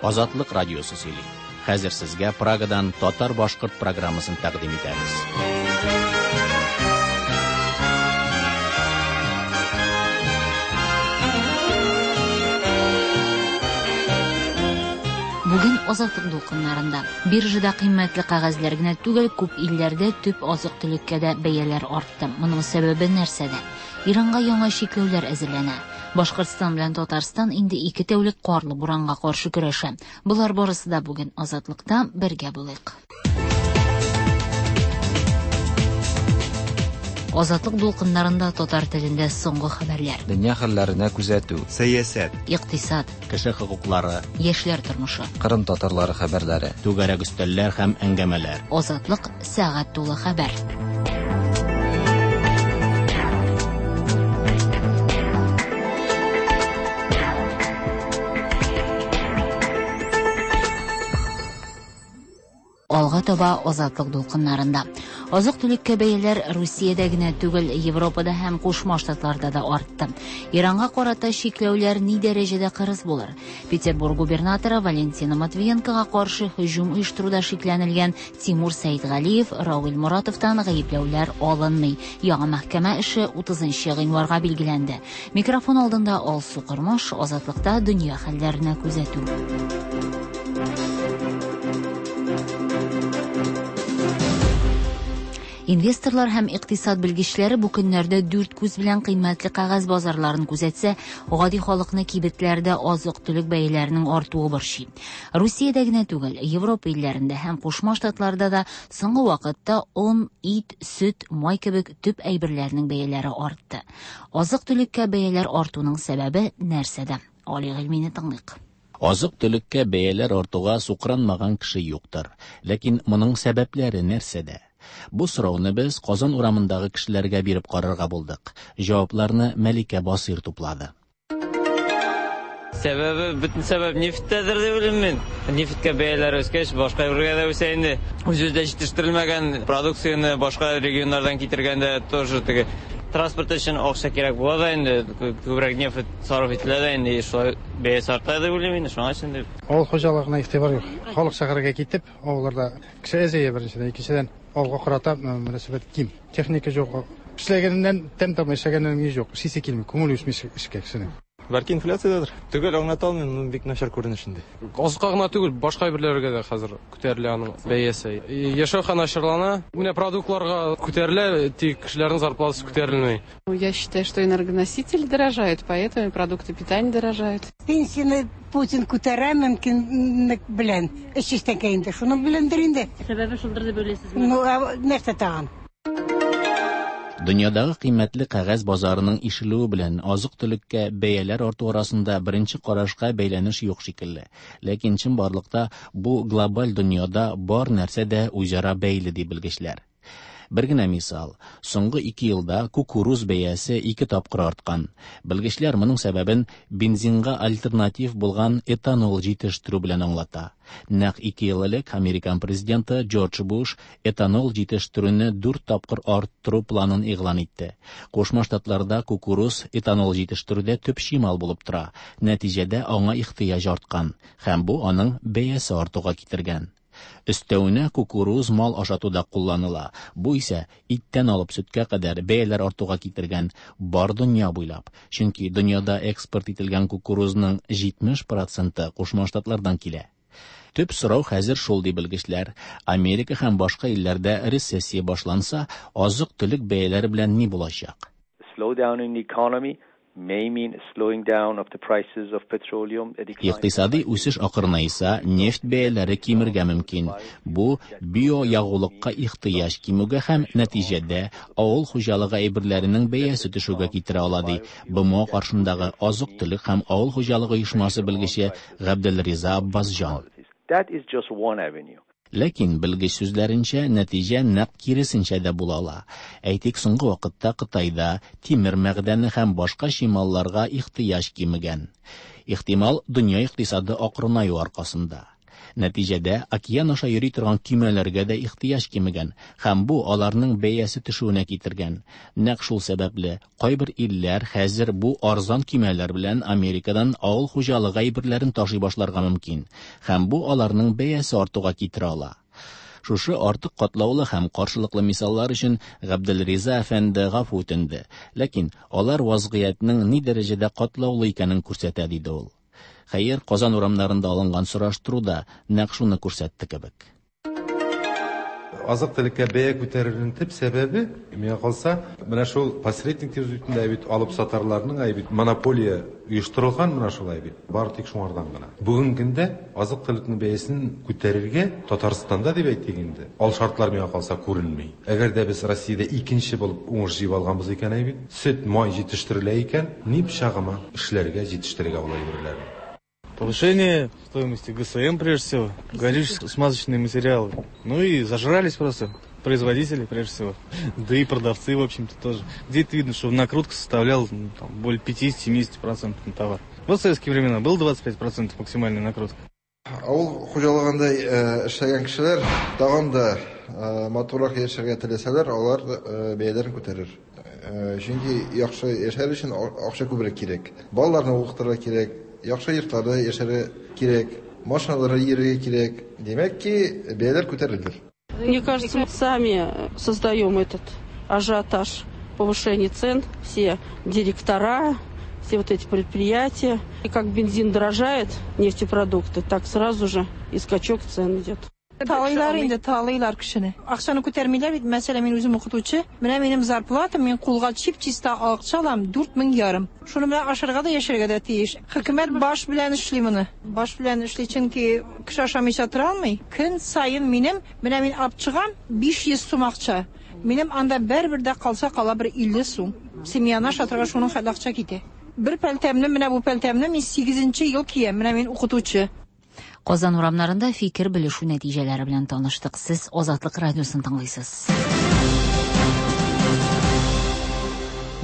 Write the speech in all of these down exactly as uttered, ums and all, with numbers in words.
Азатлык радиосы сөйли. Хәзер сезгә Прагадан татар-башкорт программасын тәкъдим итәбез. Бүген Азатлык дулкыннарында биржада кыйммәтле кәгазьләр генә түгел, күп илләрдә төп азык-төлеккә дә бәяләр артты. Моның сәбәбе нәрсәдә? Иранга яңа чикләүләр әзерләнә. Башкортстан белән Татарстан инде ике тәүлек карлы буранга каршы көрәшә. Болар барысы да бүген Азатлыкта, бергә булыйк. Азатлык дулкыннарында татар телендә соңгы хәбәрләр. Дөнья хәлләренә күзәтү. Сәясәт. Икътисад. Кеше хокуклары. Яшьләр тормышы. Кырым татарлары хәбәрләре. Түгәрәк өстәлләр һәм әңгәмәләр. Азатлык сәгать тулы хәбәр. Алга таба Азатлык дулкыннарында. Азык-төлеккә бәяләр Русиядә генә түгел, Европада һәм Кушма Штатларда да артты. Иранга карата чикләүләр ни дәрәҗәдә кырыс булыр? Петербург губернаторы Валентина Матвиенкога каршы һөҗүм оештыруда шикләнелгән Тимур Сәидгалиев, Равил Моратовтан гаепләүләр алынмый. Яңа мәхкәмә эше утызынчы гыйнварга билгеләнде. Микрофон алдында Алсу Кормаш, Азатлыкта дөнья хәлләренә күзәтү. Инвесторлар һәм икътисад белгечләре бу көннәрдә дүрт күз белән кыйммәтле кәгазь базарларын күзәтсә, гади халыкны кибетләрдә азык-төлек бәяләренең артуы борчый. Русиядә генә түгел, Европа илләрендә һәм Кушма Штатларда да соңгы вакытта он, ит, сөт, май кебек төп әйберләрнең бәяләре артты. Азык-төлеккә бәяләр артуның сәбәбе нәрсәдә? Али Гыйльмине тыңлыйк. Азык-төлеккә бәяләр артуга сукранмаган кеше юктыр. Ләкин моның сәбәпләре нәрсәдә? Бу сорауны без Казан урамындагы кешеләргә биреп карарга булдык. Җавапларны Мәликә Басыйр туплады. Сәбәбе, бөтен сәбәп нефтьтәдер дип уйлыйм мин. Нефтькә бәяләр үскәч, башка бергә дә үсә инде. Үз-үзендә җитештерелмәгән продукцияне башка регионнардан китергәндә тоже теге транспорт өчен акча кирәк була да инде, күбрәк нефть сарыф ителә дә инде, шулай бәясе арта дип уйлыйм инде, шуңа өчен дип. Авыл хуҗалыгына игътибар юк. Халык шәһәргә китеп, авылларда кеше әзәя беренчедән, икенчедән авылга карата мөнәсәбәт ким. Техника юк. Эшләгәненнән тәм тапмый, эшләгәненнән ни юк. Эшлисе килми, күңел үсми эшкә кешенең. Бәлки инфляциядәдер. Төгәл аңлата алмыйм, бик начар күренеш инде. Азыкка гына түгел, башка әйберләргә дә хәзер күтәрелә аның бәясе. Яшәү хәл начарлана. Менә продуктларга күтәрелә, тик кешеләрнең зарплатасы күтәрелми. Я считаю, что энергоносители дорожают, поэтому и продукты питания дорожают. Пенсияне Путин күтәрә мөмкинлек белән. Эш эштән инде, шуның беләндер инде. Сәбәбе шулдыр дип уйлыйсызмы? Ну, нәрсә тагын? Дөньядагы кыйммәтле кәгазь базарының ишелүе белән азык-төлеккә бәяләр арту арасында беренче карашка бәйләнеш юк шикелле. Ләкин чынбарлыкта бу глобаль дөньяда бар нәрсә дә үзара бәйле ди белгечләр. Бер генә мисал, соңгы ике елда кукуруз бәясе ике тапкыр арткан. Белгечләр моның сәбәбен бензинга альтернатив булган этанол җитештерү белән аңлата. Нәкъ ике ел элек Американ президенты Джордж Буш этанол җитештерүне дүрт тапкыр арттыру планын игълан итте. Кушма Штатларда кукуруз этанол җитештерүдә төп чимал булып тора. Нәтиҗәдә аңа ихтыяҗ арткан һәм бу аның бәясе артуга китергән. Өстәвенә кукуруз мал ашатуда кулланыла. Бу исә иттән алып сөткә кадәр бәяләр артуга китергән бар дөнья буйлап. Чөнки дөньяда экспорт ителгән кукурузның җитмеш проценты Кушма Штатлардан килә. Төп сорау хәзер шул ди белгечләр. Америка һәм башка илләрдә рецессия башланса, азык-төлек бәяләре белән ни булачак? Slowdown in the economy may mean slowing down of the prices of petroleum. Икътисади үсеш акрынайса, нефть бәяләре кимергә мөмкин. Бу биоягулыкка ихтыяҗ кимүгә һәм нәтиҗәдә авыл хуҗалыгы әйберләренең бәясе төшүгә китерә ала ди Б М О каршындагы азык-төлек һәм авыл хуҗалыгы оешмасы белгече Габделриза Аббасҗан. That is just one avenue. Ләкин белгеч сүзләренчә, нәтиҗә нәкъ киресенчә дә була ала. Әйтик, соңгы вакытта Кытайда тимер мәгъдәне һәм башка чималларга ихтыяҗ кимегән. Ихтимал, дөнья икътисады акрынаю аркасында. Нәтиҗәдә океан аша йөри торган көймәләргә дә ихтыяҗ кимегән һәм бу аларның бәясе төшүенә китергән. Нәкъ шул сәбәпле кайбер илләр хәзер бу арзан көймәләр белән Америкадан авыл хуҗалыгы әйберләрен ташый башларга мөмкин һәм бу аларның бәясе артуга китерә ала. Шушы артык катлаулы һәм каршылыклы мисаллар өчен Габделриза әфәнде гафу үтенде. Ләкин алар вазгыятьнең ни дәрәҗәдә катлаулы икәнен күрсәтә, диде ул. Хәер, Казан урамнарында алынган сораштыру да нәкъ шуны күрсәтте кебек. Азык-төлеккә бәя күтәрелүнең төп сәбәбе, миңа калса, менә шул посредник дип үтендә бит алып сатарларның әй бит монополия оештырылган менә шулай бит. Бары тик шуңардан гына. Бүгенге көндә азык-төлекнең бәясен күтәрергә Татарстанда дип әйтик инде. Ал шартлар миңа калса күренми. Әгәр дә без Россиядә икенче булып уңыш җыеп алганбыз икән әй бит, сөт, май җитештерелә икән, ни пычагыма эшләргә, җитештерергә ул әйберләрне. Повышение стоимости ГСМ, прежде всего, горюче-смазочные материалы. Ну и зажрались просто производители, прежде всего, да и продавцы, в общем-то, тоже. Где-то видно, что накрутка составляла, ну, там, более пятидесяти-семидесяти процентов на товар. Вот в советские времена было двадцать пять процентов максимальная накрутка. Авыл хуҗалыгында эшләгән кешеләр тагын да матуррак яшәргә теләсәләр, алар бәяләрен күтәрер. Чөнки яхшы яшәр өчен акча күбрәк кирәк. Балаларны укытырга кирәк, яхшы йортларда яшәргә кирәк, машиналарда йөрергә кирәк. Димәк ки, бәяләр күтәрелер. Мне кажется, мы сами создаем этот ажиотаж повышения цен, все директора, все вот эти предприятия. И как бензин дорожает, нефтепродукты, так сразу же и скачок цен идет. Талыйлар инде, талыйлар кешене. Акчаны күтәрмиләр бит. Мәсәлән, мин үзем укытучы. Менә минем зарплатам, мин кулга чип-чиста акча алам, дүрт мең ярым. Шуны белән ашарга да, яшәргә дә тиеш. Хөкүмәт баш белән эшли моны. Баш белән эшли, чөнки кеше ашамыйча тора алмый. Көн саен минем, менә мин алып чыгам биш йөз сум акча. Минем анда бер-бер дә калса кала бер илле сум. Семьяны ашатырга шуның хәтле акча китә. Бер пәлтәмне, менә бу пәлтәмне мин сигезенче ел киям. Менә мин укытучы. Казан урамнарында фикер белешү нәтиҗәләре белән таныштык. Сез Азатлык радиосын тыңлыйсыз.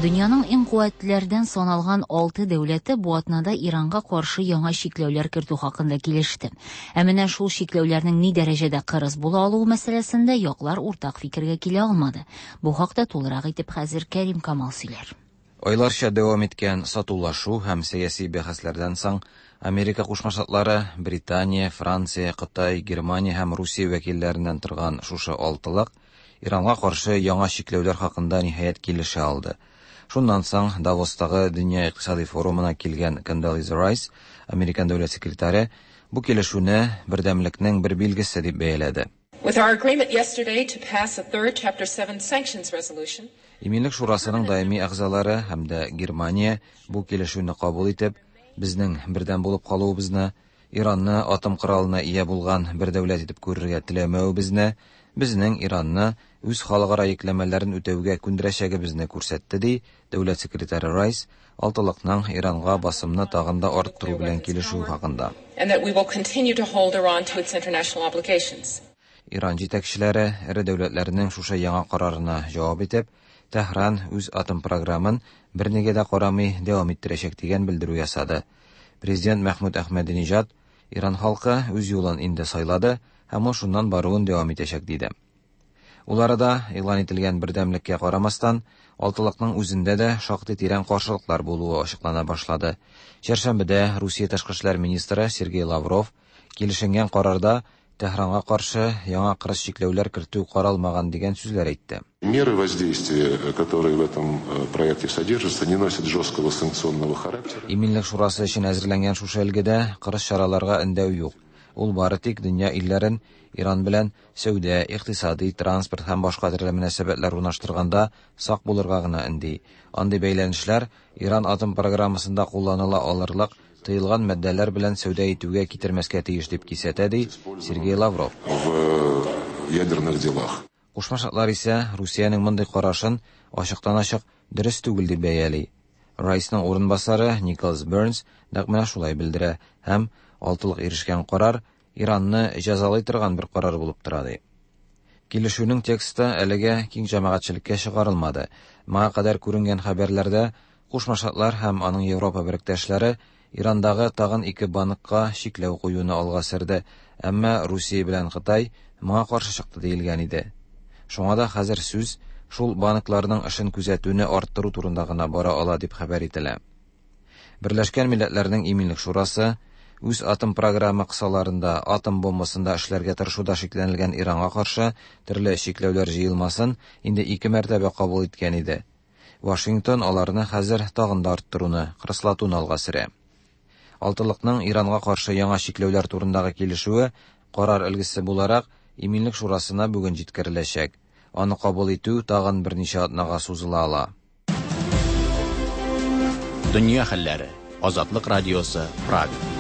Дөньяның иң куәтлеләрдән саналган алты дәүләте бу атнада Иранга каршы яңа чикләүләр кертү хакында килеште. Ә менә шул чикләүләрнең ни дәрәҗәдә кырыс була алуы мәсьәләсендә яклар уртак фикергә килә алмады. Бу хакта тулырак итеп хәзер Кәрим Камал сөйләр. Айларча дәвам иткән сатулашу һәм сәяси бәхәсләрдән соң Америка Кушма Штатлары, Британия, Франция, Кытай, Германия һәм Русия вәкилләреннән торган шушы алтылык Иранга каршы яңа чикләүләр хакында ниһаять килешә алды. Шуннан соң Давостагы Дөнья икътисади форумына килгән Кондолиза Райс, Американ дәүләт секретаре, бу килешүне бердәмлекнең бер билгесе дип бәяләде. With our agreement yesterday to pass a third Chapter seven sanctions resolution. Иминлек шурасының даими әгъзалары һәм дә Германия бу килешүне кабул итеп, безнең бердәм булып калуыбызны, Иранны атом коралына ия булган бер дәүләт итеп күрергә теләмәвебезне, безнең Иранны үз халыкара йөкләмәләрен үтәүгә күндерәчәгебезне күрсәтте, ди дәүләт секретаре Райс, алтылыкның Иранга басымны тагын да арттыру белән килешү хакында. And that we will continue to hold Iran to its international obligations. Иран җитәкчеләре эре дәүләтләрнең шушы яңа карарына җавап итеп, Тәһран үз атом програмын бернигә дә карамый дәвам иттерәчәк дигән белдерү ясады. Президент Мәхмүд Әхмәдинежад Иран халкы үз юлын инде сайлады һәм ул шуннан баруын дәвам итәчәк диде. Ул арада игълан ителгән бердәмлеккә карамастан, алтылыкның үзендә дә шактый тирән каршылыклар булуы ачыклана башлады. Чәршәмбедә Русия тышкы эшләр министры Сергей Лавров килешенгән карарда Тәһранга каршы яңа кырыс чикләүләр кертү каралмаган дигән сүзләр әйтте. Меры воздействия, которые в этом проекте содержатся, не носят жесткого санкционного характера. Иминлек шурасы өчен әзерләнгән шушы өлгедә кырыс чараларга өндәү юк. Ул бары тик дөнья илләрен Иран белән сәүдә, икътисади, транспорт һәм башка төрле мөнәсәбәтләр урнаштырганда сак булырга гына өнди. Андый бәйләнешләр Иран атом программасында кулланыла алырлык тыелган матдәләр белән сәүдә итүгә китермәскә тиеш дип кисәтә, ди Сергей Лавров. В ядерных делах. Кушма Штатлар исә Русиянең мондый карашын ачыктан-ачык дөрес түгел дип бәяли. Райсның урынбасары Николас Бернс нәкъ менә шулай белдерә һәм алтылык ирешкән карар Иранны җәзалый торган бер карар булып тора, ди. Килешүнең тексты әлегә киң җәмәгатьчелеккә чыгарылмады. Моңа кадәр күренгән хәбәрләрдә Кушма Штатлар һәм аның Европа беректәшләре Ирандагы тагын ике банкка чикләү куюны алга сөрде, әмма Русия белән Кытай моңа каршы чыкты диелгән иде. Шуңа да хәзер сүз шул банкларның эшен күзәтүне арттыру турында гына бара ала дип хәбәр ителә. Берләшкән Милләтләрнең Иминлек Шурасы үз атом программы кысаларында атом бомбасында эшләргә тырышуда шикләнелгән Иранга каршы төрле чикләүләр җыелмасын инде ике мәртәбә кабул иткән иде. Вашингтон аларны хәзер тагын да арттыруны, кырыслатуны алга сөрә. Алтылыкның Иранга каршы яңа чикләүләр турындагы килешүе карар өлгесе буларак Иминлек Шурасына бүген җиткереләчәк. Аны кабул итү тагын берничә атнага сузыла ала. Дөнья хәлләре. Азатлык радиосы, Прага.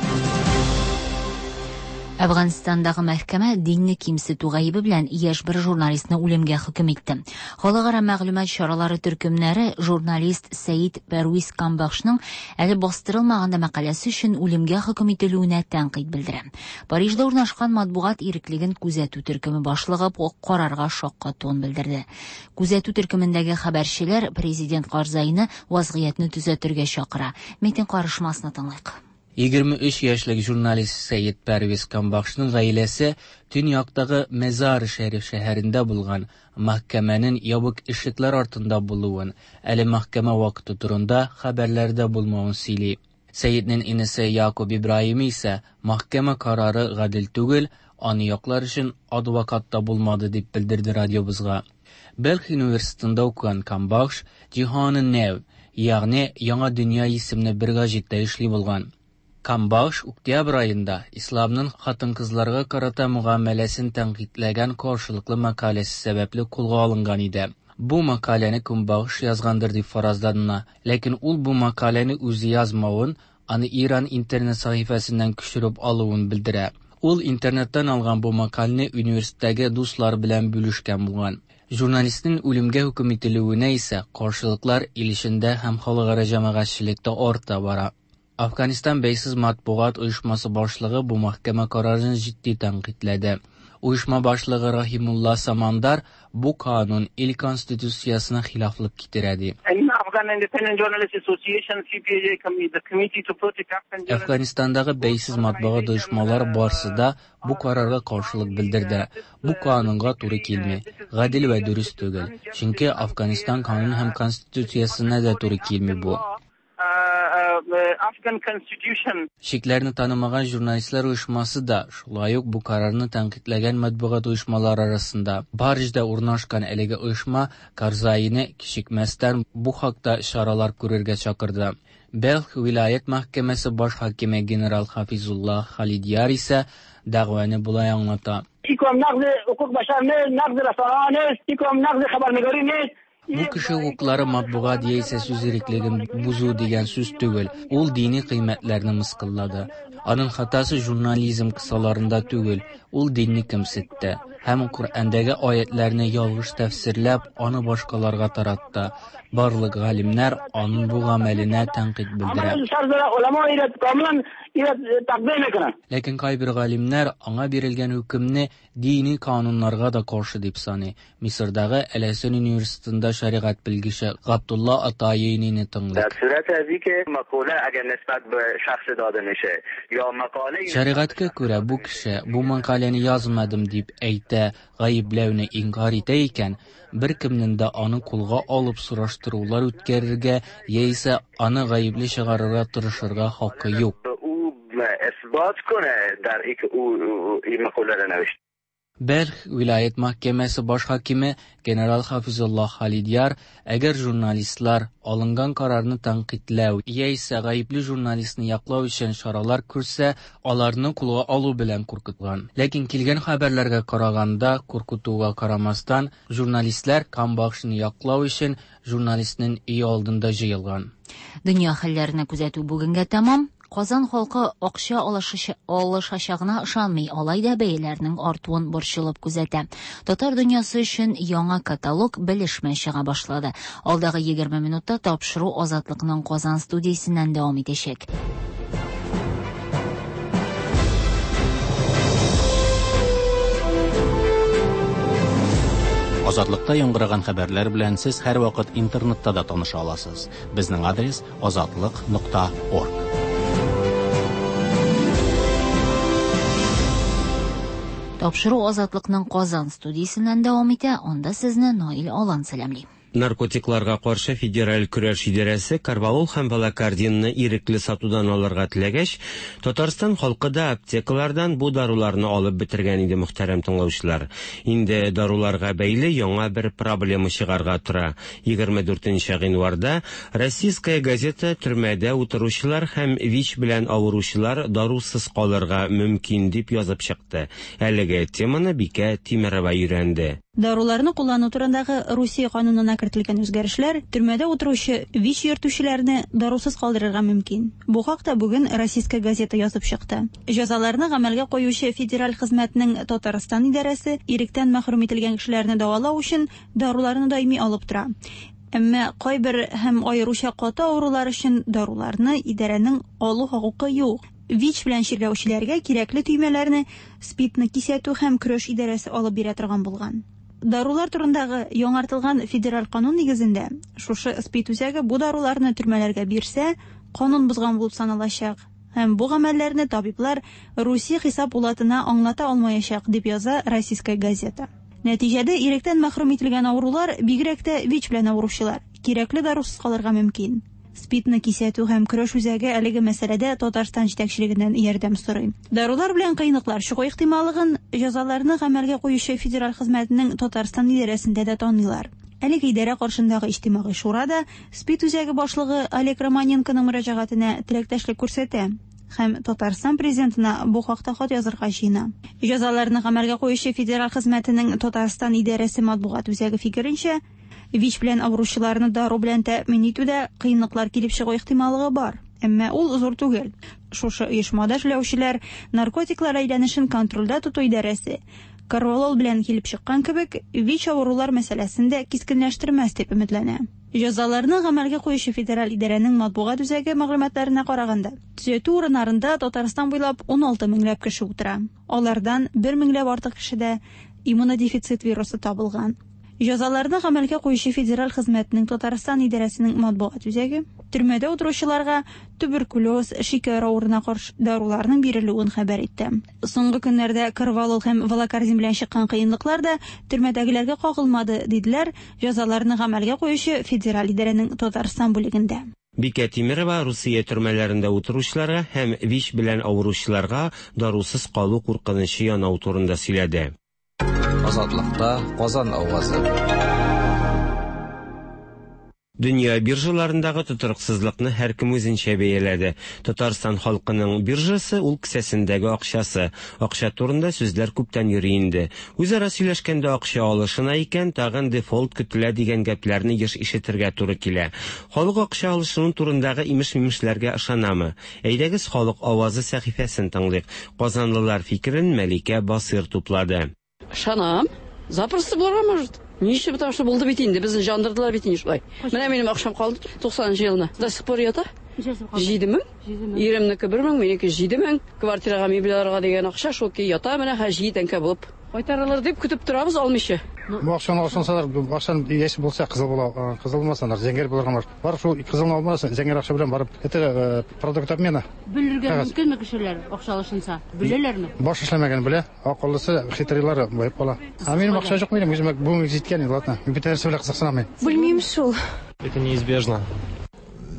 Әфганстандагы мәхкәмә динне кимсетү гаебе белән яшь бер журналистны үлемгә хөкем итте. Халыкара мәгълүмат чаралары төркемнәре журналист Сәид Пәрвиз Камбахшның әле бастырылмаган да мәкаләсе өчен үлемгә хөкем ителүенә тәнкыйть белдерә. Парижда урнашкан матбугат иреклеген күзәтү төркеме башлыгы бу карарга шаккатуын белдерде. Күзәтү төркемендәге хәбәрчеләр президент Карзайны вазгыятьне төзәтергә чакыра. Митинг карышмасына тыңлыйк. Егерме өч яшьлек журналист Сәид Пәрвиз Камбахшның гаиләсе төньяктагы Мазар-и-Шәриф шәһәрендә булган мәхкәмәнең ябык ишекләр артында булуын, әле мәхкәмә вакыты турында хәбәрләрдә булмавын сөйли. Сәиднең инесе Якуб Ибраһим исә мәхкәмә карары гадел түгел, аны яклар өчен адвокат та булмады дип белдерде радиобызга. Белх университетында укыган Камбахш Җиһаны Нәв, ягъни Яңа дөнья исемле бер гәҗиттә эшли булган. Камбахш октябрь айында исламның хатын-кызларга карата мөгамәләсен тәнкыйтьләгән каршылыклы мәкаләсе сәбәпле кулга алынган иде. Бу мәкаләне Камбахш язгандыр дип фаразлана, ләкин ул бу мәкаләне үзе язмавын, аны Иран интернет сәхифәсеннән күчереп алуын белдерә. Ул интернеттан алган бу мәкаләне университеттәге дуслар белән бүлешкән булган. Журналистның үлемгә хөкем ителүенә исә каршылыклар ил эчендә һәм халыкара җәмәгатьчелектә арта бара. Афганистан бәйсез матбугат оешмасы башлыгы бу мәхкәмә карарын җитди тәнкыйтьләде. Оешма башлыгы Рахимулла Самандар бу канун ил конституциясенә хилафлык китерә ди. Әфганистандагы бәйсез матбугат оешмалары барсы да бу карарга каршылык белдерде. Бу канунга туры килми, гадел вә дөрес түгел. Чөнки Афганистан канун һәм конституциясенә дә туры килми бу. Afghan Constitution. Шикләрне танымаган журналистлар оешмасы да шулай ук бу карарны тәнкыйтьләгән матбугат оешмалары арасында. Парижда урнашкан әлеге оешма Карзайны кичекмәстән бу хакта чаралар күрергә чакырды. Белх вилаят мәхкәмәсе баш хакиме генерал Хафизулла Халидияр исә дәгъваны болай аңлата. Бу кеше хокуклары матбугат яисә сүз иреклеген бозу дигән сүз түгел, ул дини кыйммәтләрне мыскыллады. Аның хатасы журнализм кысаларында түгел, ул динне кимсетте һәм Коръәндәге аятларны ялгыш тәфсирләп, аны башкаларга таратты. Барлык галимнәр аның бу гамәленә тәнкыйть белдерә. Ләкин кайбер галимнәр аңа бирелгән хөкемне дини кануннарга да каршы дип саный. Мисырдагы Әл-Әсән университетында шәригать белгече Габдулла Атаинине тыңлыйк. Шәригатькә күрә бу кеше бу мәкаләне язмадым дип әйтә, гаепләүне инкар итә икән, бер кемнең дә аны кулга алып сораштырулар үткәрергә яисә аны гаепле чыгарырга тырышырга хакы юк. Бәлх вилаят мәхкәмәсе баш хакиме генерал Хафизулла Халидияр, әгәр журналистлар алынган карарны тәнкыйтьләү яисә гаепле журналистны яклау өчен чаралар күрсә, аларны кулга алу белән куркыткан. Ләкин килгән хәбәрләргә караганда, куркытуга карамастан, журналистлар Камбахшны яклау өчен журналистның өе алдында җыелган. Дөнья хәлләренә күзәтү бүгенгә тәмам. Казан халкы акча алышачагына ышанмый, алай да бәяләрнең артуын борчылып күзәтә. Татар дөньясы өчен яңа каталог белешмә чыга башлады. Алдагы егерме минутта тапшыру Азатлыкның Казан студиясеннән дәвам итәчәк. Азатлыкта яңгыраган хәбәрләр белән сез һәрвакыт интернетта да таныша аласыз. Безнең адрес азатлык нокта орг. Тапшыру Азатлыкның Казан студиясеннән дәвам итә. Анда сезне Наил Алан сәламли. Наркотикларга каршы федераль көрәш идарәсе корвалол һәм валокординны ирекле сатудан алырга теләгәч, Татарстан халкы да аптекалардан бу даруларны алып бетергән иде, мөхтәрәм тыңлаучылар. Инде даруларга бәйле яңа бер проблема чыгарга тора. егерме дүртенче гыйнварда Российская газета төрмәдә утыручылар һәм ВИЧ белән авыручылар дарусыз калырга мөмкин дип язып чыкты. Әлеге теманы Бикә Тимерова өйрәнде. Даруларны куллану турындагы Русия канунына кертелгән үзгәрешләр төрмәдә утыручы ВИЧ йөртүчеләрне дарусыз калдырырга мөмкин. Бу хакта бүген Российская газета язып чыкты. Җәзаларны гамәлгә куючы федераль хезмәтнең Татарстан идарәсе иректән мәхрүм ителгән кешеләрне дәвалау өчен даруларны даими алып тора. Әмма кайбер һәм аеруча каты авырулар өчен даруларны идарәнең алу хокукы юк. ВИЧ белән чирләүчеләргә кирәкле төймәләрне СПИДны кисәтү һәм көрәш идарәсе алып бирә торган булган. Дарулар турындагы яңартылган федераль канун нигезендә шушы СПИД үзәге бу даруларны төрмәләргә бирсә, канун бозган булып саналачак. Һәм бу гамәлләрне табиблар Русия хисап пулатына аңлата алмаячак, дип яза Российская газета. Нәтиҗәдә иректән мәхрүм ителгән авырулар, бигрәк тә ВИЧ белән авыручылар, кирәкле дарусыз калырга мөмкин. СПИДны кисәтү һәм көрәш үзәге әлеге мәсьәләдә Татарстан җитәкчелегеннән ярдәм сорый. Дарулар белән кыенлыклар чыгу ихтималлыгын җәзаларны гамәлгә куючы федераль хезмәтнең Татарстан идарәсендә дә таныйлар. Әлеге идарә каршындагы иҗтимагый шурада СПИД үзәге башлыгы Олег Романенконың мөрәҗәгатенә теләктәшлек күрсәтә һәм Татарстан президентына бу хакта хат язырга җыена. Җәзаларны гамәлгә куючы федераль хезмәтенең Татарстан идарәсе матбугат үзәге фикеренчә, ВИЧ белән авыручыларны дару белән тәэмин итүдә кыенлыклар килеп чыгу ихтималлыгы бар, әмма ул зур түгел. Шушы оешмада эшләүчеләр наркотиклар әйләнешен контрольдә тоту идарәсе корвалол белән килеп чыккан кебек ВИЧ авырулар мәсьәләсен дә кискенләштермәс дип өметләнә. Җәзаларны гамәлгә куючы федераль идарәнең матбугат үзәге мәгълүматларына караганда, төзәтү урыннарында Татарстан буйлап ун алты меңләп кеше утыра. Алардан бер меңләп артык кешедә иммунодефицит вирусы табылган. Җәзаларны гамәлгә куючы федераль хезмәтнең Татарстан идарәсенең матбугат үзәге төрмәдә утыручыларга туберкулез, шикәр авыруына каршы даруларның бирелүен хәбәр итте. Соңгы көннәрдә корвалол һәм валокордин белән чыккан кыенлыклар да төрмәдәгеләргә кагылмады, диделәр җәзаларны гамәлгә куючы федераль идарәнең Татарстан бүлегендә. Бикә Тимерова Русия төрмәләрендә утыручыларга һәм ВИЧ белән авыручыларга дарусыз калу куркынычы янау турында сөйләде. Азатлыкта Казан авазы. Дөнья биржаларындагы тотрыксызлыкны һәркем үзенчә бәяләде. Татарстан халкының биржасы ул кесәсендәге акчасы. Акча турында сүзләр күптән йөри инде. Үзара сөйләшкәндә акча алышына икән, тагын дефолт көтелә дигән гәпләрне еш ишетергә туры килә. Халык акча алышыну турындагы имеш-мимешләргә ышанамы? Әйдәгез халык авазы сәхифәсен тыңлыйк. Казанлылар фикерен Мәликә Басыр туплады. Ышанам. Запросто булырга может. Ничек, потому что булды бит инде, безне жандырдылар бит инде шулай. Менә минем акчам калды туксанынчы елны. До сих пор ята. Җиде мең. Иремнеке бер мең, минеке җиде мең. Квартирага мебель алырга дигән акча шул ки ята менә хәзер җиде тәңкә булып. Кайтарылыр дип көтеп торабыз алмыйча. Бу акчаны алсалар, акчаны яшь булса кызыл була, кызыл булмаса зәңгәр булырга может. Бар шул кызылны алмаса, зәңгәр акча белән барып, это продукт обмена. Бүлергә мөмкинме кешеләр акча алышынса? Бүләләрме? Баш эшләмәгән белә, акыллысы хитрыйлары баеп кала. Ә минем акча юк, минем үземә бүген җиткән инде, ладно. Мин бит нәрсә белән кызыксынамын. Белмим шул. Это неизбежно.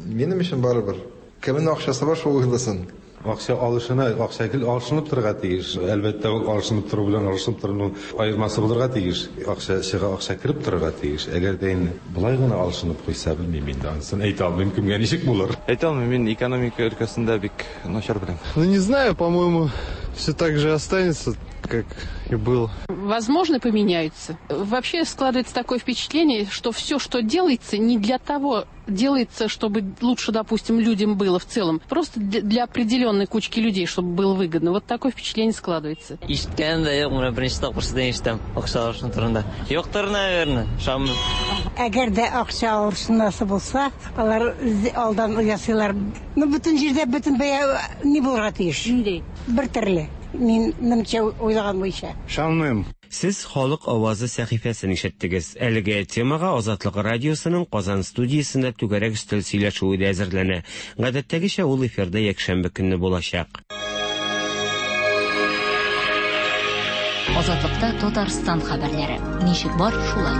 Минем өчен барыбер. Кемнең акчасы бар, шул уйласын. Акча алышына, акча гел алышынып торырга тиеш. Әлбәттә, ул алышынып тору белән алышынып торуның аермасы булырга тиеш. Акча чыга, акча кереп торырга тиеш. Әгәр дә инде болай гына алышынып куйса, белмим инде, анысын әйтә алмыйм, кемгә ничек булыр. Әйтә алмыйм, мин экономика өлкәсендә бик начар беләм. Ну, не знаю, по-моему, все так же останется, как и было. Возможно, поменяются. Вообще складывается такое впечатление, что все, что делается, не для того делается, чтобы лучше, допустим, людям было в целом. Просто для определенной кучки людей, чтобы было выгодно. Вот такое впечатление складывается. Ишеткән дә юк, менә беренче тапкыр сездән ишетәм акча алышыну турында. Юктыр, наверное, ышанмыйм. Әгәр дә акча алышынасы булса, алар алдан ясыйлар. Ну, бөтен җирдә бөтен бәя ни булырга тиеш? Нинди? Бер төрле. Мин немчә уйлаган буенча. Ышанмыйм. Сез халык авазы сәхифәсен ишеттегез. Әлеге темага Азатлык радиосының Казан студиясендә түгәрәк өстәл сөйләшүе дә әзерләнә. Гадәттәгечә ул эфирда якшәмбе көнне булачак. Азатлыкта Татарстан хәбәрләре. Ничек бар, шулай.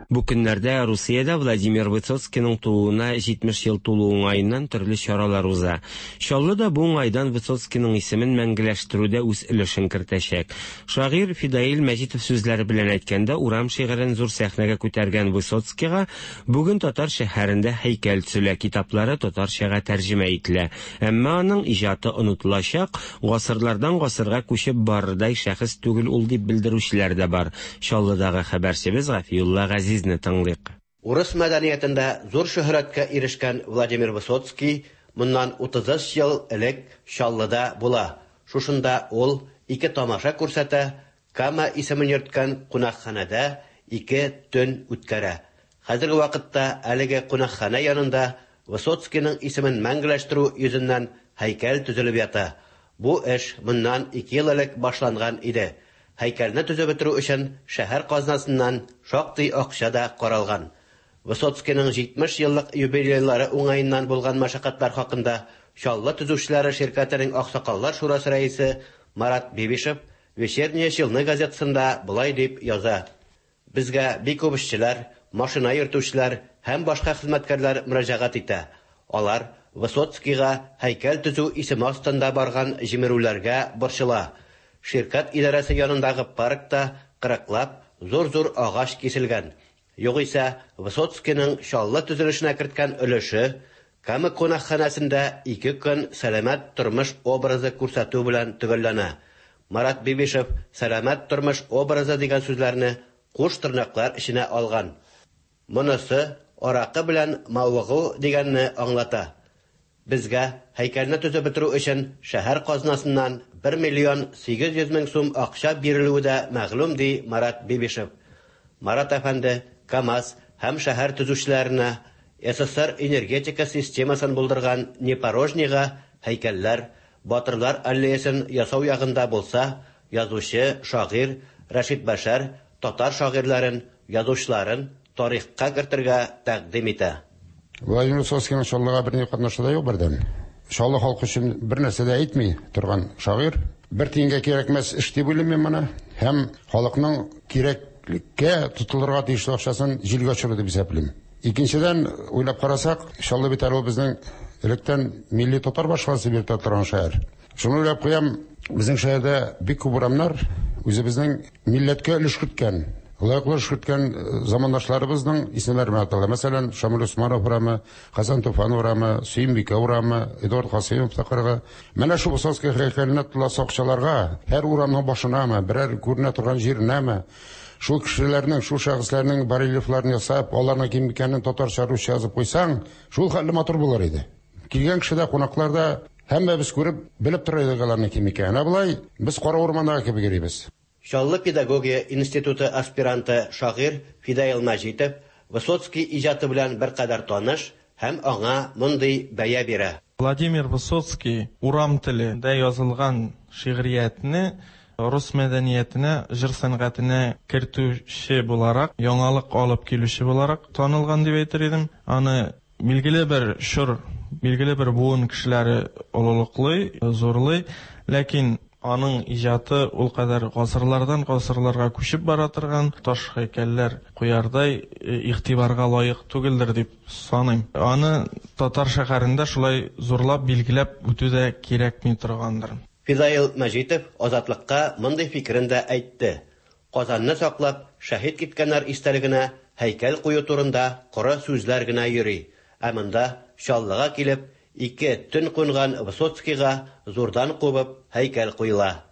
Бу көннәрдә Русиядә Владимир Высоцкийның тууына җитмеш ел тулу уңаеннан төрле чаралар уза. Чаллы да бу уңайдан Высоцкийның исемен мәңгеләштерүдә үз өлешен кертәчәк. Шагыйрь Фидаил Мәҗитов сүзләре белән әйткәндә, урам шигырен зур сәхнәгә күтәргән Высоцкийга бүген татар шәһәрендә һәйкәл төзелә, китаплары татарчага тәрҗемә ителә. Әмма аның иҗаты онытылачак, гасырлардан гасырга күчеп барырдай шәхес түгел ул дип белдерүчеләр дә бар. Чаллыдагы хәбәрчебез Гафиулла Газиз тыңлыйк. Урыс мәдәниятендә зур шөһрәткә ирешкән Владимир Высоцкий моннан утыз өч ел элек Чаллыда була. Шушында ул ике тамаша күрсәтә, Кама исемен йөрткән кунакханәдә ике төн үткәрә. Хәзерге вакытта әлеге кунакханә янында Высоцкийның исемен мәңгеләштерү йөзеннән һәйкәл төзелеп ята. Бу эш моннан ике ел элек башланган иде. Һәйкәлне төзеп бетерү өчен шәһәр казнасыннан шактый акча да каралган. Высоцкийның җитмеш еллык юбилейлары уңаеннан булган мәшәкатьләр хакында Чаллы төзүчеләре ширкәтенең Аксакаллар шурасы рәисе Марат Бибишев Вечерняя Челны газетасында болай дип яза: Безгә бик күп эшчеләр, машина йөртүчеләр һәм башка хезмәткәрләр мөрәҗәгать итә. Алар Высоцкийга һәйкәл төзү исеме астында барган җимерүләргә борчыла. Ширкәт идарәсе янындагы паркта кырыклап зур-зур агач киселгән. Югыйсә, Высоцкийның Чаллы төзелешенә керткән өлеше Кама кунакханәсендә ике көн сәламәт тормыш образы күрсәтү белән төгәлләнә. Марат Бибишев сәламәт тормыш образы дигән сүзләрне куш тырнаклар эченә алган. Монысы аракы белән мавыгу дигәнне аңлата. Безгә һәйкәлне төзеп бетерү өчен шәһәр казнасыннан бер миллион сигез йөз мең сум акча бирелүе дә мәгълүм, ди Марат Бибишев. Марат әфәнде КАМАЗ һәм шәһәр төзүчеләренә СССР энергетика системасын булдырган Непорожныйга һәйкәлләр, Батырлар аллеясын ясау ягында булса, язучы, шагыйрь Рәшит Бәшәр татар шагыйрьләрен, язучыларын тарихка кертергә тәкъдим итә. Владимир Высоцкийның Чаллыга берни катнашы да юк бердән. Чаллы халкы өчен бер нәрсә дә әйтми торган шагыйрь. Бер тиенгә кирәкмәс эш дип уйлыйм мин моны. Һәм халыкның кирәклеккә тотылырга тиешле акчасын җилгә очыру дип исәплим. Икенчедән, уйлап карасак, Чаллы бит әле ул безнең электән милли татар башкаласы дип йөртә торган шәһәр. Шуны уйлап куям, безнең шәһәрдә бик күп урамнар үзебезнең милләткә өлеш керткән, лаеклы эш керткән замандашларыбызның исемнәре белән атала. Мәсәлән, Шамил Усманов урамы, Хәсән Туфан урамы, Сөембикә урамы, Эдуард Касыймов тыкрыгы. Менә шул Высоцкий һәйкәленә тотыласы акчаларга һәр урамның башынамы, берәр күренә торган җиренәме, шул кешеләрнең, шул шәхесләрнең барельефларын ясап, аларның кем икәнен татарча, русча язып куйсаң, шул хәтле матур булыр иде. Килгән кеше дә, кунаклар да һәммәбез күреп, белеп тора идек аларның кем икәнен. Ә болай без кара урмандагы кебек йөрибез. Чаллы педагогия институты аспиранты шагыйрь Фидаил Мәҗитов Высоцкий иҗаты белән беркадәр таныш һәм аңа мондый бәя бирә. Владимир Высоцкий урам телендә язылган шигъриятне рус мәдәниятенә, җыр сәнгатенә кертүче буларак, яңалык алып килүче буларак танылган дип әйтер идем. Аны билгеле бер чор, билгеле бер буын кешеләре олылыклый, зурлый, ләкин аның иҗаты ул кадәр гасырлардан гасырларга күчеп бара торган таш һәйкәлләр куярдай игътибарга лаек түгелдер дип саныйм. Аны татар шәһәрендә шулай зурлап билгеләп үтү дә кирәкми торгандыр. Фидаил Мәҗитов Азатлыкка мондый фикерен дә әйтте. Казанны саклап, шәһит киткәннәр истәлегенә һәйкәл кую турында коры сүзләр генә йөри. Ә монда Чаллыга килеп, ике төн кунган Высоцкийга зурдан кубып һәйкәл куела.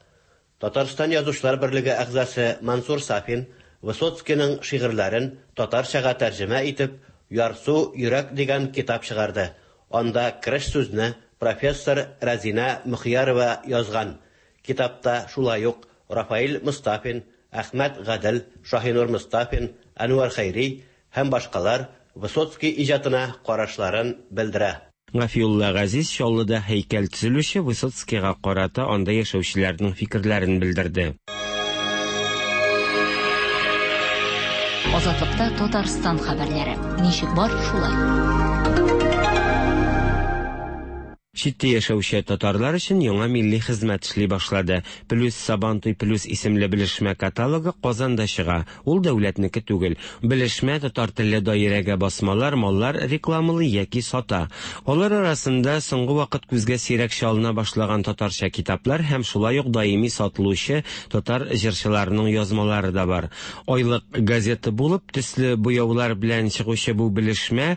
Татарстан Язучылар берлеге әгъзасы Мансур Сафин Высоцкийның шигырьләрен татарчага тәрҗемә итеп, Ярсу йөрәк дигән китап чыгарды. Анда кереш сүзне профессор Разина Мөхиярова язган. Китапта шулай ук Рафаил Мустафин, Әхмәт Гадел, Шаһинур Мустафин, Әнвәр Хәйри һәм башкалар Высоцкий иҗатына карашларын белдерә. Гафиулла Газиз Чаллыда һәйкәл төзелүче Высоцкийга карата анда яшәүчеләрнең фикерләрен белдерде. Азатлыкта Татарстан хәбәрләре. Ничек бар, шулай. Читтә яшәүче татарлар өчен яңа милли хезмәт эшли башлады. Плюс Сабантуй плюс исемле белешмә каталогы Казанда чыга. Ул дәүләтнеке түгел. Белешмә татар телле даирәгә басмалар, маллар рекламалый яки сата. Алар арасында соңгы вакыт күзгә сирәк чалына башлаган татарча китаплар һәм шулай ук даими сатылучы татар җырчыларының язмалары да бар. Айлык газета булып, төсле буяулар белән чыгучы бу белешмә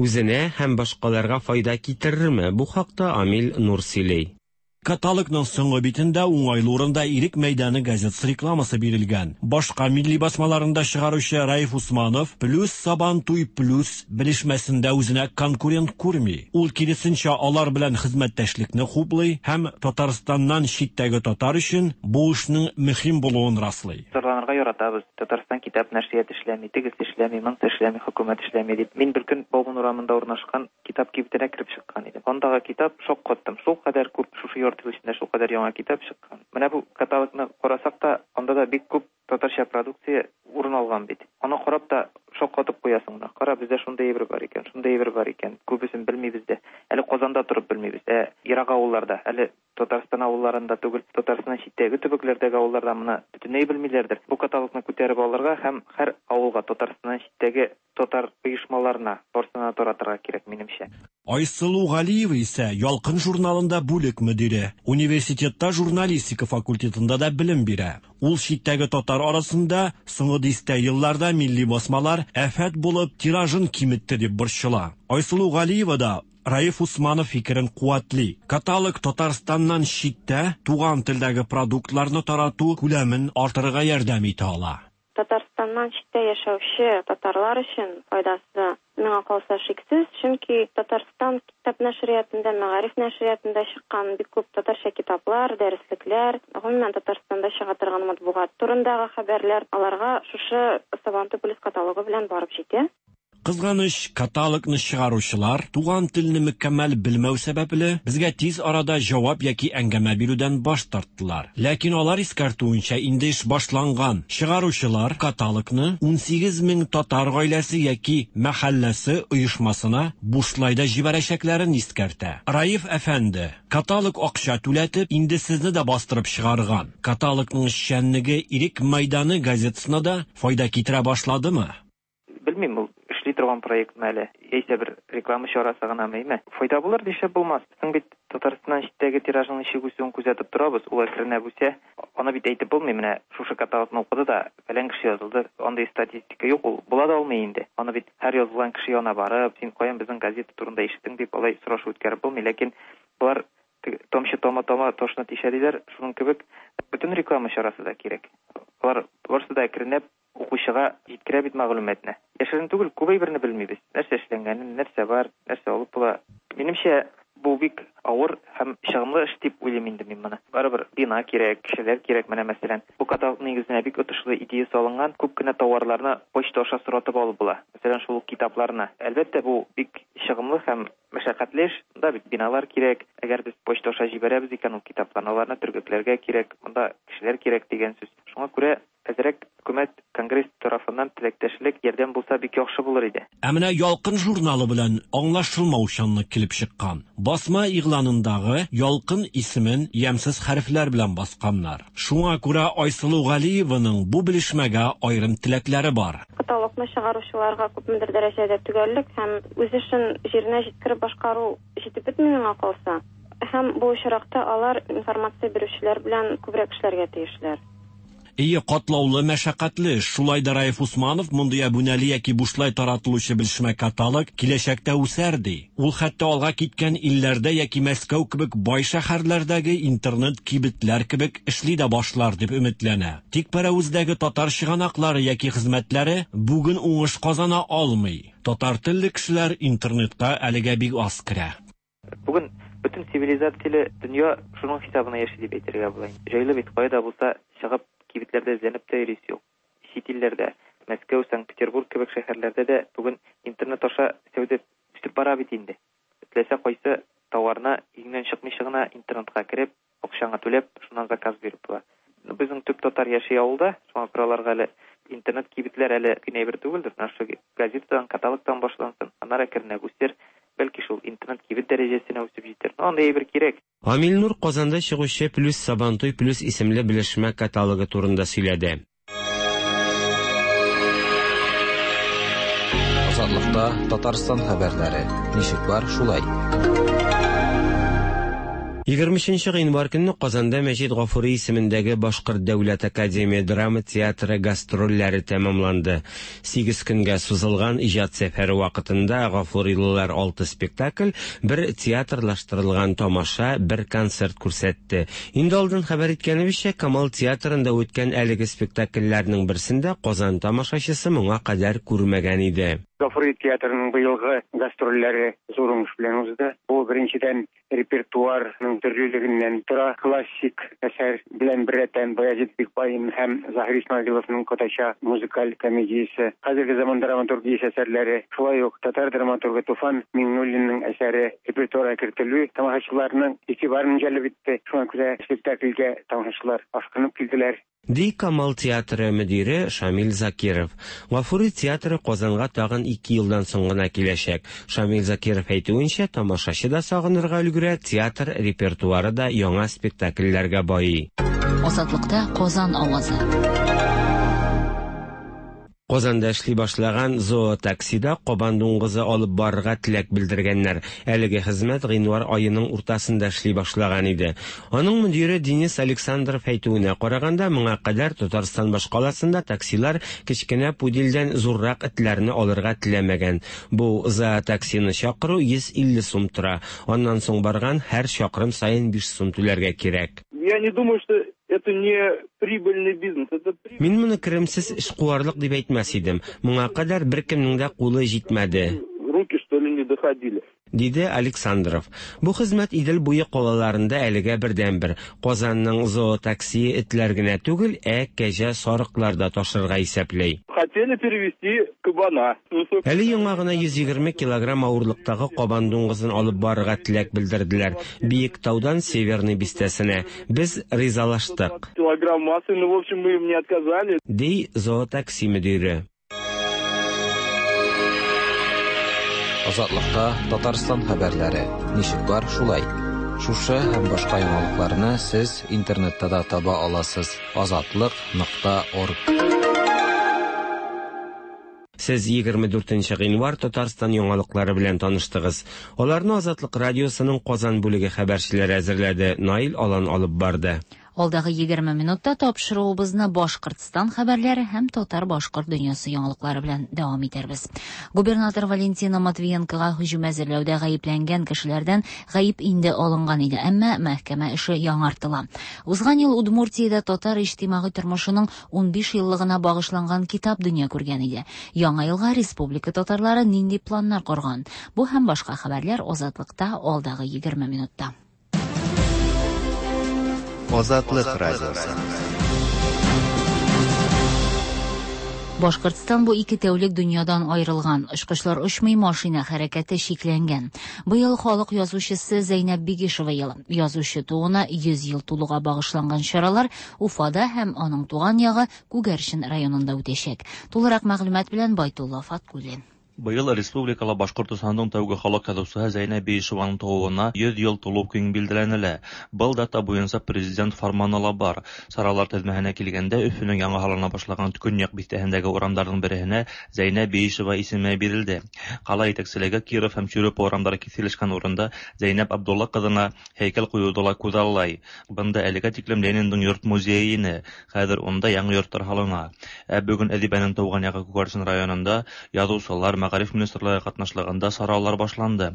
үзенә һәм башкаларга файда китерерме? Бу хакта Амил Нур сөйли. Каталогның соңгы битендә уңайлы урында Ирек мәйданы газетасы рекламасы бирелгән. Башка милли басмаларында чыгаручы Раиф Усманов Плюс Сабантуй плюс белешмәсендә үзенә конкурент күрми. Ул киресенчә алар белән хезмәттәшлекне хуплый һәм Татарстаннан читтәге татар өчен бу эшнең мөһим булуын раслый. Зарланырга яратабыз. Татарстан китап нәшрияты эшләми, тегесе эшләми, монысы эшләми, хөкүмәт эшләми дип. Мин бер көн Бауман урамында урнашкан китап кибетенә кереп чыккан идем. Андагы китап шок каттым. Шул кадәр күп шушы эчендә шул кадәр яңа китап чыккан. Менә бу каталогны карасак та, анда да бик күп татарча продукция урын алган бит. Аны карап та шок катып куясың. Кара, бездә шундый әйбер бар икән, шундый әйбер бар икән. Күбесен белмибез дә. Әле Казанда торып белмибез. Ә ерак авылларда, әле Татарстан авылларында түгел, Татарстаннан читтәге төбәкләрдәге авылларда моны бөтенләй белмиләрдер. Бу каталогны күтәреп алырга һәм һәр авылга Татарстаннан читтәге татар оешмаларына барсына таратырга кирәк, минемчә. Айсылу Галиева исә Ялкын журналында бүлек мөдире, университетта журналистика факультетында да белем бирә. Ул читтәге татар арасында соңгы дистә елларда милли басмалар афәт булып тиражын киметте дип борчыла. Айсылу Галиева да Раиф Усманов фикерен куәтли. Каталог Татарстаннан читтә туган телдәге продуктларны тарату күләмен артырырга ярдәм итә ала. Татарстаннан читтә яшәүче татарлар өчен файдасы миңа калса шиксез, чөнки Татарстан китап нәшриятында, мәгариф нәшриятында чыккан бик күп татарча китаплар, дәреслекләр, гомумән Татарстанда чыга торган матбугат турындагы хәбәрләр аларга шушы Сабантуй плюс каталогы белән барып җитә. Кызганыч, каталогны чыгаручылар туган телне мөкәммәл белмәү сәбәпле безгә тиз арада җавап яки әңгәмә бирүдән баш тарттылар. Ләкин алар искәртүенчә инде эш башланган. Чыгаручылар каталогны ун сигез мең татар гаиләсе яки мәхәлләсе оешмасына бушлай да җибәрәчәкләрен искәртә. Раиф әфәнде, каталог акча түләтеп, инде сезне дә бастырып чыгарган. Каталогның эшчәнлеге Ирек мәйданы газетасына да файда китерә башладымы? Белмим, ул эшли торган проектмы әле, яисә бер реклама чарасы гынамы, әйме? Файда булыр дишә булмас. Соң бит Татарстаннан читтәге тиражның ничек үсүен күзәтеп торабыз, ул әкренләп үсә. Аны бит әйтеп булмый, менә шушы каталогны укыды да, фәлән кеше язылды, андый статистика юк, ул була да алмый инде. Аны бит һәр язылган кеше янына барып, син каян безнең газета турында ишеттең дип алай сорашу үткәреп булмый, ләкин болар тамчы тама-тама ташны тишә диләр, шуның кебек бөтен реклама чарасы да кирәк. Алар барысы да әкренләп укучыга җиткерә бит мәгълүматны. Яшерен түгел, күп әйберне белмибез. Нәрсә эшләнгәнен, нәрсә бар, нәрсә алып була. Минемчә, бу бик авыр һәм чыгымлы эш дип уйлыйм инде мин моны. Барыбер бина кирәк, кешеләр кирәк. Менә мәсәлән, бу каталог нигезенә бик отышлы идея салынган, күп кенә товарларны почта аша соратып алып була. Мәсәлән, шул ук китапларны. Әлбәттә, бу бик чыгымлы һәм мәшәкатьле эш. Монда бит биналар кирәк. Әгәр без почта аша җибәрәбез икән, ул китапларны аларны төргәкләргә кирәк, монда кешеләр кирәк дигән сүз. Шуңа күрә әзрәк хөкүмәт, конгресс тарафыннан теләктәшлек, ярдәм булса бик яхшы булыр иде. Ә менә Ялкын журналы белән аңлашылмаучанлык килеп чыккан. Басма игъланындагы Ялкын исемен ямьсез хәрефләр белән басканнар. Шуңа күрә Айсылу Галиеваның бу белешмәгә аерым теләкләре бар. Каталогны чыгаручыларга күпмедер дәрәҗәдә төгәллек һәм үз эшен җиренә җиткереп башкару җитеп бетми миңа калса. Һәм бу очракта алар информация бирүчеләр белән күбрәк эшләргә тиешләр. Ие, катлаулы, мәшәкатьле. Шулай да Раиф Усманов мондый әбүнәле яки бушлай таратылучы белешмә каталог киләчәктә үсәр ди. Ул хәтта алга киткән илләрдә яки Мәскәү кебек бай шәһәрләрдәге интернет кибетләр кебек эшли дә башлар дип өметләнә. Тик Пәрәвездәге татар чыганаклары яки хезмәтләре бүген уңыш казана алмый. Татар телле кешеләр интернетка әлегә бик аз керә. Бүген бөтен цивилизацияле дөнья шуның хисабына яши дип әйтергә була. Җайлы бит, кайда булса чыгып кибетләрдә эзләнеп тә йөрисе юк. Чит илләрдә, Мәскәү, Санкт-Петербург кебек шәһәрләрдә дә бүген интернет аша сәүдә үсеп бара бит инде. Теләсә кайсы товарны өеңнән чыкмыйча гына интернетка кереп, акчаңа түләп, шуннан заказ биреп була. Безнең төп татар яши авылда, шуңа күрә аларга әле интернет кибетләр әле генә бер түгелдер. Менә шул газетадан, каталогтан башлансын, аннары әкренләп үсер. Бәлки шул интернет кибет дәрәҗәсенә үсеп җитәр. Андый әйбер кирәк. Амил Нур Казанда чыгучы Плюс Сабантуй Плюс исемле белешмә каталогы турында сөйләде. Азатлыкта Татарстан хәбәрләре. Ничек бар, шулай. Егерме өченче гыйнвар көнне Казанда Мәҗит Гафури исемендәге Башкорт дәүләт академия драма театры гастрольләре тәмамланды. Сигез көнгә сузылган иҗат сәфәре вакытында гафурилылар алты спектакль, бер театрлаштырылган тамаша, бер концерт күрсәтте. Инде алдан хәбәр иткәнебезчә, Камал театрында үткән әлеге спектакльләрнең берсендә Казан тамашачысы моңа кадәр күрмәгән иде. Гафури театрының быелгы гастрольләре зур уңыш белән узды. Бу беренчедән репертуарның төрлелегеннән тора. Классик әсәр белән беррәттән Баязит Бикбаин һәм Заһир Исмагиловның Котача музыкаль комедиясе, хәзерге заман драматургиясе әсәрләре, шулай ук татар драматургы Туфан Миңнуллинның әсәре репертуарга кертелү тамашачыларның игътибарын җәлеп итте. Шуңа күрә спектакльгә тамашачылар ашкынып килделәр. Ди Камал театры мөдире Шамил Закиров. Гафури театры Казанга тагын ике елдан соң гына киләчәк. Шамил Закиров әйтүенчә, тамашачы да сагынырга өлгерә, театр репертуары да яңа спектакльләргә байый. Азатлыкта Казан авазы. Казанда эшли башлаган зоотаксида кабан дуңгызы алып барырга теләк белдергәннәр. Әлеге хезмәт гыйнвар аеның уртасында эшли башлаган иде. Аның мөдире Денис Александров әйтүенә караганда, моңа кадәр Татарстан башкаласында таксилар кечкенә пудельдән зуррак этләрне алырга теләмәгән. Бу зоотаксины чакыру йөз илле сум тора. Аннан соң барган һәр чакрым саен биш сум түләргә кирәк. Я не думаю, что это не прибыльный бизнес. Это при... Мин моны керемсез эшкуарлык дип әйтмәс идем. Моңа кадәр беркемнең дә кулы җитмәде. Руки, что ли, не доходили. Диде Александров. Бу хезмәт Идел буе калаларында әлегә бердәнбер. Казанның зоотаксие этләр генә түгел, ә кәҗә сарыклар да ташырга исәпләй. Хотели перевести кабана. Әле яңа гына йөз егерме килограмм авырлыктагы кабан дуңгызын алып барырга теләк белдерделәр. Биек таудан Северный бистәсенә. Без ризалаштык. Килограмм массы, ну, в общем, мы им не отказали. Ди зоотакси мөдире. Азатлыкта Татарстан хәбәрләре. Ничек бар, шулай. Шушы һәм башка яңалыкларны сез интернетта да таба аласыз. азатлык нокта орг. Сез егерме дүртенче гыйнвар Татарстан яңалыклары белән таныштыгыз. Аларны Азатлык радиосының Казан бүлеге хәбәрчеләре әзерләде. Наил Алан алып барды. Алдагы егерме минутта тапшыруыбызны Башкортстан хәбәрләре һәм татар-башкорт дөньясы яңалыклары белән дәвам итәрбез. Губернатор Валентина Матвиенкога һөҗүм әзерләүдә гаепләнгән кешеләрдән гаеп инде алынган иде, әмма мәхкәмә эше яңартыла. Узган ел Удмуртиядә татар иҗтимагый тормышының унбиш еллыгына багышланган китап дөнья күргән иде. Яңа елга республика татарлары нинди планнар корган? Бу һәм башка хәбәрләр Азатлыкта алдагы егерме минутта. Азатлык радиосы. Башкортстан бу ике тәүлек дөньядан аерылган. Очкычлар очмый, машина хәрәкәте чикләнгән. Быел халык язучысы Зәйнәб Бигишева елы. Язучы тууына йөз ел тулуга багышланган чаралар Уфада һәм аның туган ягы Күгәрчен районында үтәчәк. Тулырак мәгълүмат белән Байтулла Фаткуллин. Быел республикала Башкортостанның тәүге халык язучысы Зәйнәб Биишеваның тууына йөз ел тулу көн билгеләнелә. Был дата буенча президент фарманы ла бар. Саралар тезмәһенә килгәндә Өфөнең яңа һалына башлаган көньяк бистәһендәге урамдарның береһенә Зәйнәб Биишева исеме бирелде. Кала итәкчелеге Киров һәм Чурупа урамдары киселешкән урында Зәйнәб Абдулла кызына һәйкәл куюды ла күҙаллай. Бында әлегә тиклем Лениндың йорт музее ине. Хәҙер унда яңы йорттар һалына. Ә бөгөн әҙибәнең тыуған ягы Күгәрсен районында яҙыусылар Мәғариф министрлыгы катнашлыгында саралар башланды.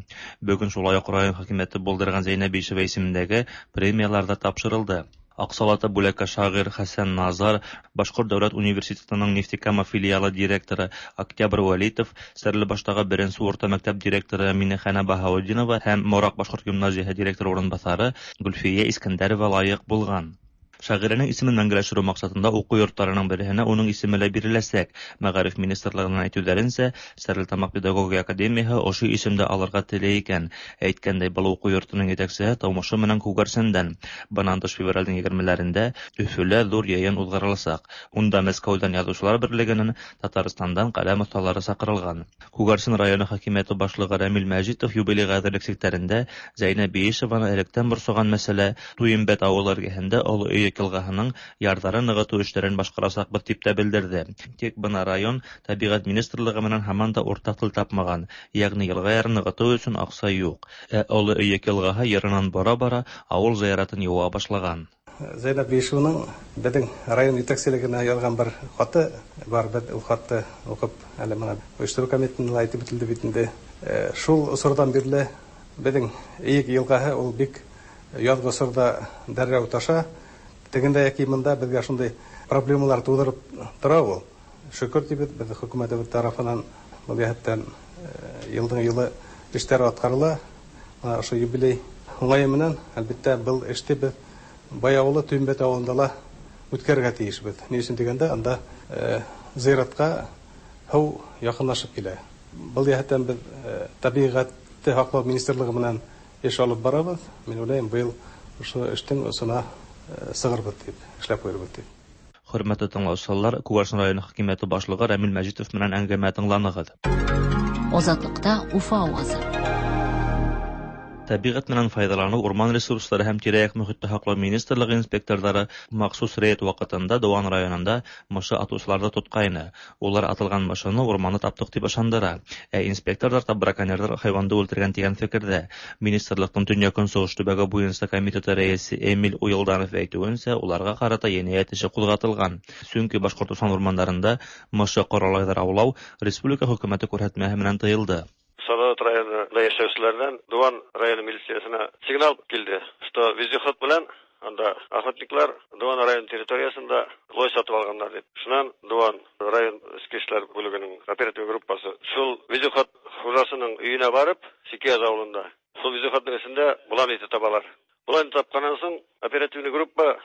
Бөгөн шулай ук район хакимияте булдырган Зәйнәб Биишева исемендәге премиялар да тапшырылды. Аҡсалата бүләккә шағир Хәсән Назар, Башҡорт дәүләт университетының Нефтекама филиалы директоры Октябрь Вәлитов, Стәрлебаштағы беренсе урта мәктәп директоры Минехана Баһаутдинова һәм Мораҡ башҡорт гимназияһы директоры урынбаҫары Гөлфиә Искәндәрова лайыҡ булған. Шағирәнең исемен мәңгеләштерү маҡсатында уҡыу йорттарының береһенә уның исеме лә биреләсәк. Мәғариф министрлығынан әйтеүҙәренсә, Стәрлетамаҡ педагогия академияһы ошо исемде алырға теләй икән. Әйткәндәй, был уҡыу йортоноң етәксеһе тыумышы менән Күгәрсендән. Бынан тыш февралдең егермеләрендә Өфөлә ҙур йыйын уҙғарыласаҡ. Унда Мәскәүҙән Яҙыусылар берлегенән, Татарстандан ҡәләм оҫталары саҡырылған. Күгәрсен районы хакимиәте башлығы Рәмил Мәжитов юбилейға әҙерлек сиктәрендә Зәйнәб Биишеваны электән борсоған мәсьәлә Туйымбәт ауылы эргәһендә Оло Өйөк йылғаһының ярҙарын нығытыу эштәрен башҡарасаҡбыҙ тип тә белдерҙе. Тик бына район тәбиғәт министрлығы менән һаман да уртаҡ тел тапмаған, йәғни йылға ярын нығытыу өсөн аҡса юҡ. Ә Оло Өйөк йылғаһы йырынан бара-бара ауыл зыяратын йыуа башлаған. Зәйнәб Биишеваның беҙҙең район етәкселегенә яҙған бер хаты бар, беҙ ул хатты уҡып, әле бына ойоштороу комитетында ла әйтеп үтелде бит инде. Шул осорҙан бирле беҙҙең Эйек йылғаһы ул бик яҙғы осорҙа дәррәү таша. Тегендә йәки бында беҙгә шундай проблемалар тыуҙырып тора ул. Шөкөр тибеҙ, беҙ хөкүмәтебеҙ тарафынан был йәһәттән йылдың йылы эштәр атҡарыла. Бына ошо юбилей уңайы менән, әлбиттә, был эште беҙ Бай ауылы, Туйымбәт ауылында ла үткәрергә тейешбеҙ. Ни өсөн тигәндә, анда зыяратҡа һыу яҡынлашып килә. Был йәһәттән беҙ тәбиғәтте һаҡлау министрлығы менән эш алып барабыҙ. Мин уйлайым, быйыл ошо эштең осона сығырбыҙ тип, эшләп ҡуйырбыҙ тип. Хөрмәтле тыңлаусылар, Күгәрсен районы хакимиәте башлығы Рәмил Мәжитов менән әңгәмә тыңланығыҙ. Азатлыкта Уфа авазы. Тәбиғәт менән файҙаланыу, урман ресурстары һәм тирә-яҡ мөхитте һаҡлау министрлығы инспекторҙары махсус рейд ваҡытында Дыуан районында мышы атыусыларҙы тотҡайны. Улар атылған мышыны урманда таптыҡ тип ышандыра. Ә инспекторҙар та браконьерҙар хайуанды үлтергән тигән фекерҙә. Министрлыҡтың төньяҡ-көнсығыш төбәге буйынса комитеты рәйесе Эмиль Уйылданов әйтеүенсә, уларға ҡарата енәйәт эше ҡуҙғатылған. Сөнки Башҡортостан урмандарында мышы ҡоралайҙар аулау республика хөкүмәте күрһәтмәһе менән тыйылды. Салават районында яшәүселәрҙән Дыуан районы милициясына сигнал килде, что вездеход менән анда охотниклар Дыуан районы территориясында лой сатып алғандар дип. Шунан Дыуан район эске эшләр бүлегенең оператив группасы шул вездеход хужасының өйөнә барып, Сикияз ауылында шул вездеходның эсендә болан ите табалар. Болан тапҡаннан һуң оперативный группа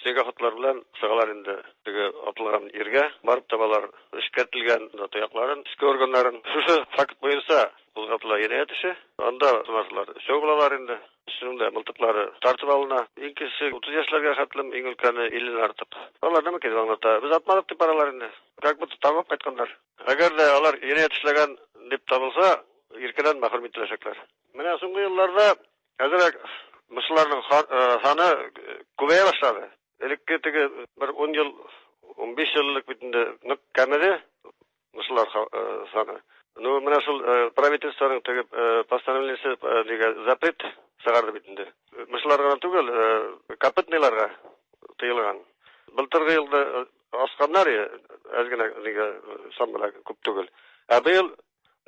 снегоходлар белән сығалар инде теге атылған ергә барып табалар эшкәртелгән тояҡларын, эске органнарын. Шушы факт буйынса ҡуҙғатыла енәйәт эше. Анда һунарсылар өсәү булалар инде. Өсөнөң дә мылтыҡлары тартып алына. Иң кесе утыҙ йәшләргә хәтлем, иң өлкәне илленән артыҡ. Алар нәмә килеп аңлата? Беҙ атманыҡ тип баралар инде. Как будто табып ҡайтҡандар. Әгәр ҙә алар енәйәт эшләгән дип табылса, иркенән мәхрүм ителәсәкләр. Менә һуңғы йылларҙа әҙерәк мышыларның һаны күбәйә башлады. Элекке теге бер ун йыл, ун биш йыллык бит инде ныҡ кәмеде мышылар саны. Ну, менә шул правительствоның теге постановлениесе дигән запрет сығарҙы бит инде. Мышыларга гына түгел, копытныйларга тыйылған. Былтырғы йылда асҡандар, әҙ генә нигә сан менән күп түгел. Ә быйыл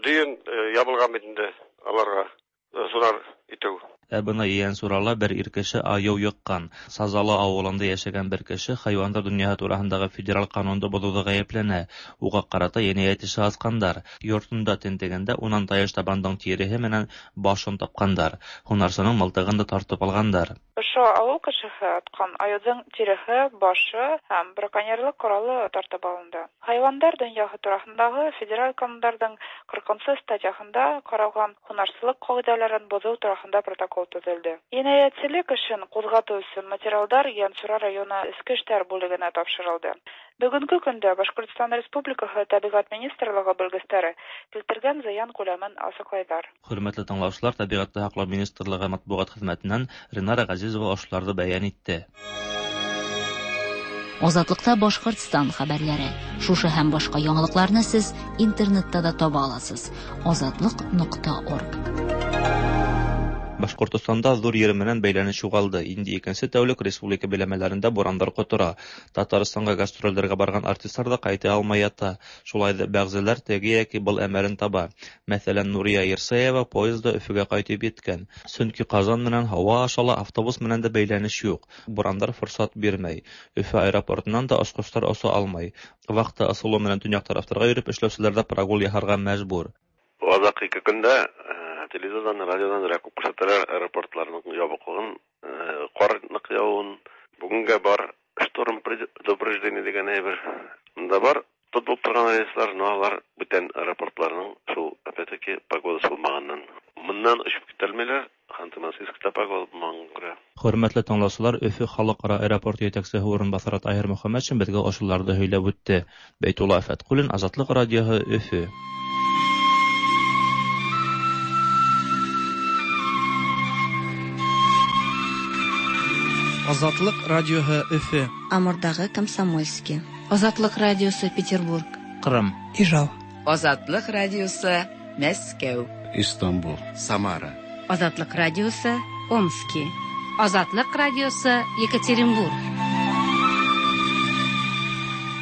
дөйөм ябылған бит инде аларға һунар итеү. Ә бына Ейәнсурала бер ир кеше айыу йыҡҡан. Сазалы ауылында йәшәгән бер кеше хайуандар донъяһы тураһындағы федераль ҡанунды боҙоуҙа ғәйепләнә. Уға ҡарата енәйәт эше асҡандар. Йортонда тентегәндә унан таяш табандың тиреһе менән башын тапҡандар. Һунарсының мылтығын да тартып алғандар. Ошо ауыл кешеһе атҡан айыуҙың тиреһе, башы һәм браконьерлыҡ ҡоралы тартып алынды. Хайуандар донъяһы тураһындағы федераль ҡанундарҙың ҡырҡынсы статьяһында ҡаралған һунарсылыҡ ҡағиҙәләрен боҙоу тураһында протокол төҙөлдө. Енәйәтселек эшен ҡуҙғатыу өсөн материалдар Ейәнсура районы эске эштәр бүлегенә тапшырылды. Бөгөнгө көндә Башҡортостан Республикаһы Тәбиғәт министрлығы белгестәре килтергән зыян күләмен асыҡлайҙар. Хөрмәтле тыңлаусылар, Тәбиғәтте һаҡлау министрлығы матбуғат хеҙмәтенән Ринара Ғәзизова ошоларҙы бәйән итте. Азатлыкта Башҡортостан хәбәрләре. Шушы һәм башҡа яңалыҡларны сез интернетта да таба аласыз. азатлык нуҡта орг. Башҡортостанда ҙур ер менән бәйләнеш юғалды. Инде икенсе тәүлек республика биләмәләрендә бурандар ҡотора. Татарстанға гастролдәргә барған артистлар да ҡайта алмай ята. Шулай ҙа бәғзеләр теге йәки был әмәлен таба. Мәҫәлән, Нурия Ирсаева поездда Өфөгә ҡайтып еткән. Сөнки Ҡазан менән һауа аша ла, автобус менән дә бәйләнеш юҡ. Бурандар форсат бирмәй. Өфө аэропортынан да осҡостар оса алмай. Вахта ысулы менән төньяҡ тарафтарға йөрөп эшләүселәр дә прогул яһарға мәжбүр. Аҙаҡ ике көндә телевизордан, радиодан күп күрһәтәләр аэропортларның ябыҡлығын, ҡар ныҡ яуын. Бүгенгә бар шторм предупреждение дигән әйбер. Монда бар тотылып торган рейслар, но алар бүтән аэропортларның шул опять-таки погодасы булмаганнан. Моннан очып китәлмиләр, Ханты-Мансийскта погода булмаганга күрә. Хөрмәтле тыңлаучылар, Өфө халыкара аэропорты җитәкчесе урынбасары Таһир Мөхәммәтшин безгә ошуларны һөйләп үтте. Бәйтулла Фәткуллин, Азатлык радиоһы, Өфө. Азатлык радиоһы, Өфө. Амурдагы Комсомольский. Азатлык радиосы, Петербург. Кырым. Ижау. Азатлык радиосы, Мәскәү. Истанбул. Самара. Азатлык радиосы, Омски. Азатлык радиосы, Екатеринбург.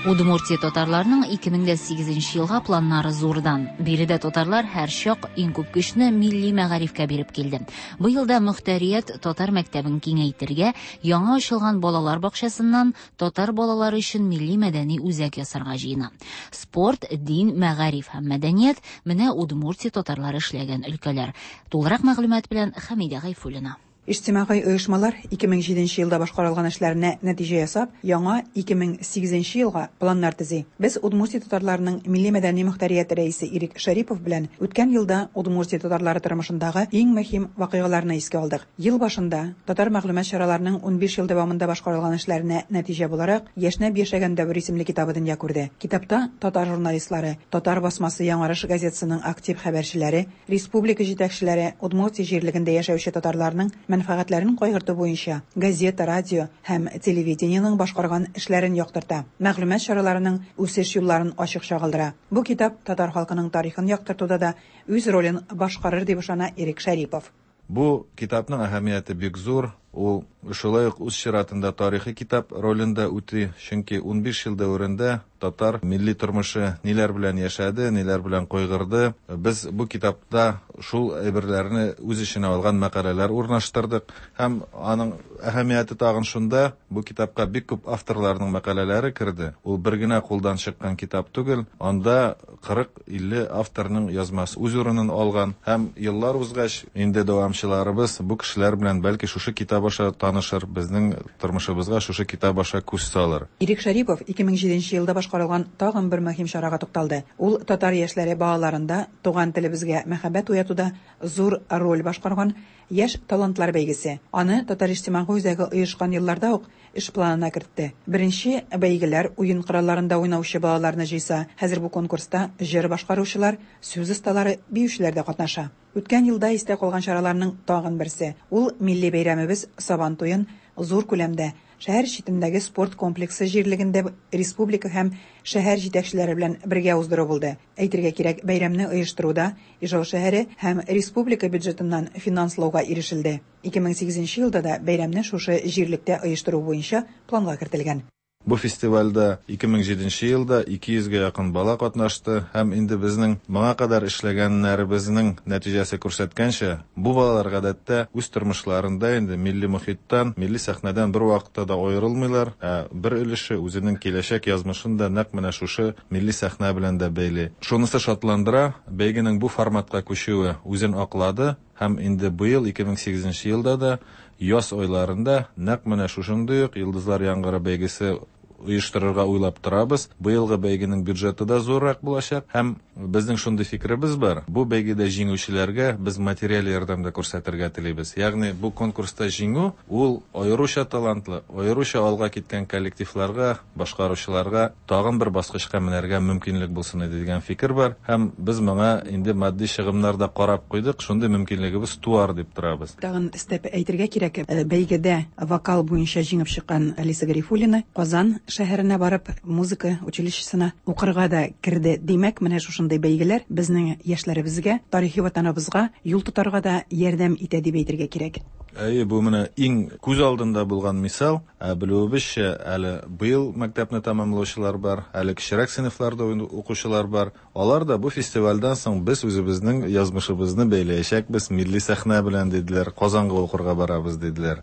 Удмуртия татарларының ике мең дә сигезенче елга планнары зурдан. Биредә татарлар һәр чак иң күп көчне милли мәгарифкә биреп килде. Бу елда мөхтәрият татар мәктәбен киңәйтергә, яңа ачылган балалар бакчасыннан татар балалары өчен милли мәдәни үзәк ясарга җыена. Спорт, дин, мәгариф һәм мәдәният менә Удмуртия татарлары эшләгән өлкәләр. Тулырак мәгълүмат белән Хәмидә Гайфуллина. Иҗтимагый оешмалар ике мең җиденче елда башкарылган эшләренә нәтиҗә ясап, яңа ике мең сигезенче елга планнар төзи. Без Удмуртия татарларының милли мәдәни мөхтәрият рәисе Ирек Шәрипов белән үткән елда Удмуртия татарлары тормышындагы иң мөһим вакыйгаларны искә алдык. Ел башында татар мәгълүмат чараларының унбиш ел дәвамында башкарылган эшләренә нәтиҗә буларак Яшьнәп яшәгән дәвер исемле китабы дөнья күрде. Китапта татар журналистлары, Татар басмасы Яңарыш газетасының актив хәбәрчеләре, республика җитәкчеләре, Удмуртия җирлегендә яшәүче татарларның мәнфәгатьләрен кайгырту буенча газета, радио һәм телевидениенең башкарган эшләрен яктырта, мәгълүмат чараларының үсеш юлларын ачык чагылдыра. Бу китап татар халкының тарихын яктыртуда да үз ролен башкарыр дип ышана Ирек Шәрипов. Бу китапның әһәмияте бик зур. Ул шулай ук үз чиратында тарихи китап ролендә үти, чөнки унбиш ел дәверендә татар милли тормышы ниләр белән яшәде, ниләр белән кайгырды. Без бу китапта шул әйберләрне үз эченә алган мәкаләләр урнаштырдык. Һәм аның әһәмияте тагын шунда, бу китапка бик күп авторларның мәкаләләре керде. Ул бер генә кулдан чыккан китап түгел, анда кырык-илле авторның язмасы үз урынын алган. Һәм еллар узгач, инде дәвамчыларыбыз бу кешеләр белән бәлки шушы китап аша танышыр, безнең тормышыбызга шушы китап аша күз салыр. Ирек Шәрипов ике мең җиденче елда башкарылган тагын бер мөһим чарага тукталды. Ул татар яшьләре балаларында туган телебезгә мәхәббәт уятуда зур роль башкарган яшь талантлар бәйгесе. Аны Татар иҗтимагый үзәге оешкан елларда ук эш планына кертте. Беренче бәйгеләр уен коралларында уйнаучы балаларны җыйса, хәзер бу конкурста җыр башкаручылар, сүз осталары, биючеләр дә катнаша. Үткән елда истә калган чараларның тагын берсе. Ул милли бәйрәмебез Сабан туен зур күләмдә шәһәр читендәге спорт комплексы җирлегендә республика һәм шәһәр җитәкчеләре белән бергә уздыру булды. Әйтергә кирәк, бәйрәмне оештыруда Ижау шәһәре һәм республика бюджетыннан финанслауга ирешелде. ике мең сигезенче елда да бәйрәмне шушы җирлектә оештыру буенча планга кертелгән. Бу фестивальдә ике мең җиденче елда ике йөзгә якын бала катнашты һәм инде безнең моңа кадәр эшләгәннәребезнең нәтиҗәсе күрсәткәнчә, бу балалар гадәттә үз тормышларында инде милли мохиттан, милли сәхнәдән бер вакытта да аерылмыйлар, ә бер өлеше үзенең киләчәк язмышын да нәкъ менә шушы милли сәхнә белән дә бәйли. Шунысы шатландыра, бәйгенең бу форматка күчүе үзен аклады һәм инде быел ике мең сигезенче елда да яз айларында нәкъ менә шушындый ук Йолдызлар яңгыры бәйгесе оештырырга уйлап торабыз. Быелгы бәйгенең бюджеты да зуррак булачак һәм безнең шундый фикеребез бар. Бу бәйгедә җиңүчеләргә без материаль ярдәм дә күрсәтергә телибез. Ягъни бу конкурста җиңү ул аеруча талантлы, аеруча алга киткән коллективларга, башкаручыларга тагын бер баскычка менәргә мөмкинлек булсын иде дигән фикер бар һәм без моңа инде матди чыгымнар да карап куйдык, шундый мөмкинлегебез туар дип торабыз. Тагын өстәп әйтергә кирәк, бәйгедә вокал буенча җиңеп чыккан Алиса Гарифуллина Казан шәһәренә барып музыка училищесына укырга да керде. Димәк, менә шушындый бәйгеләр безнең яшьләребезгә, тарихи ватаныбызга юл тотарга да ярдәм итә дип әйтергә кирәк. Әйе, бу менә иң күз алдында булган мисал. Ә белүебезчә, әле быел мәктәпне тәмамлаучылар бар, әле кечерәк сыйныфларда укучылар бар. Алар да бу фестивальдән соң без үзебезнең язмышыбызны бәйләячәкбез милли сәхнә белән диделәр, Казанга укырга барабыз диделәр.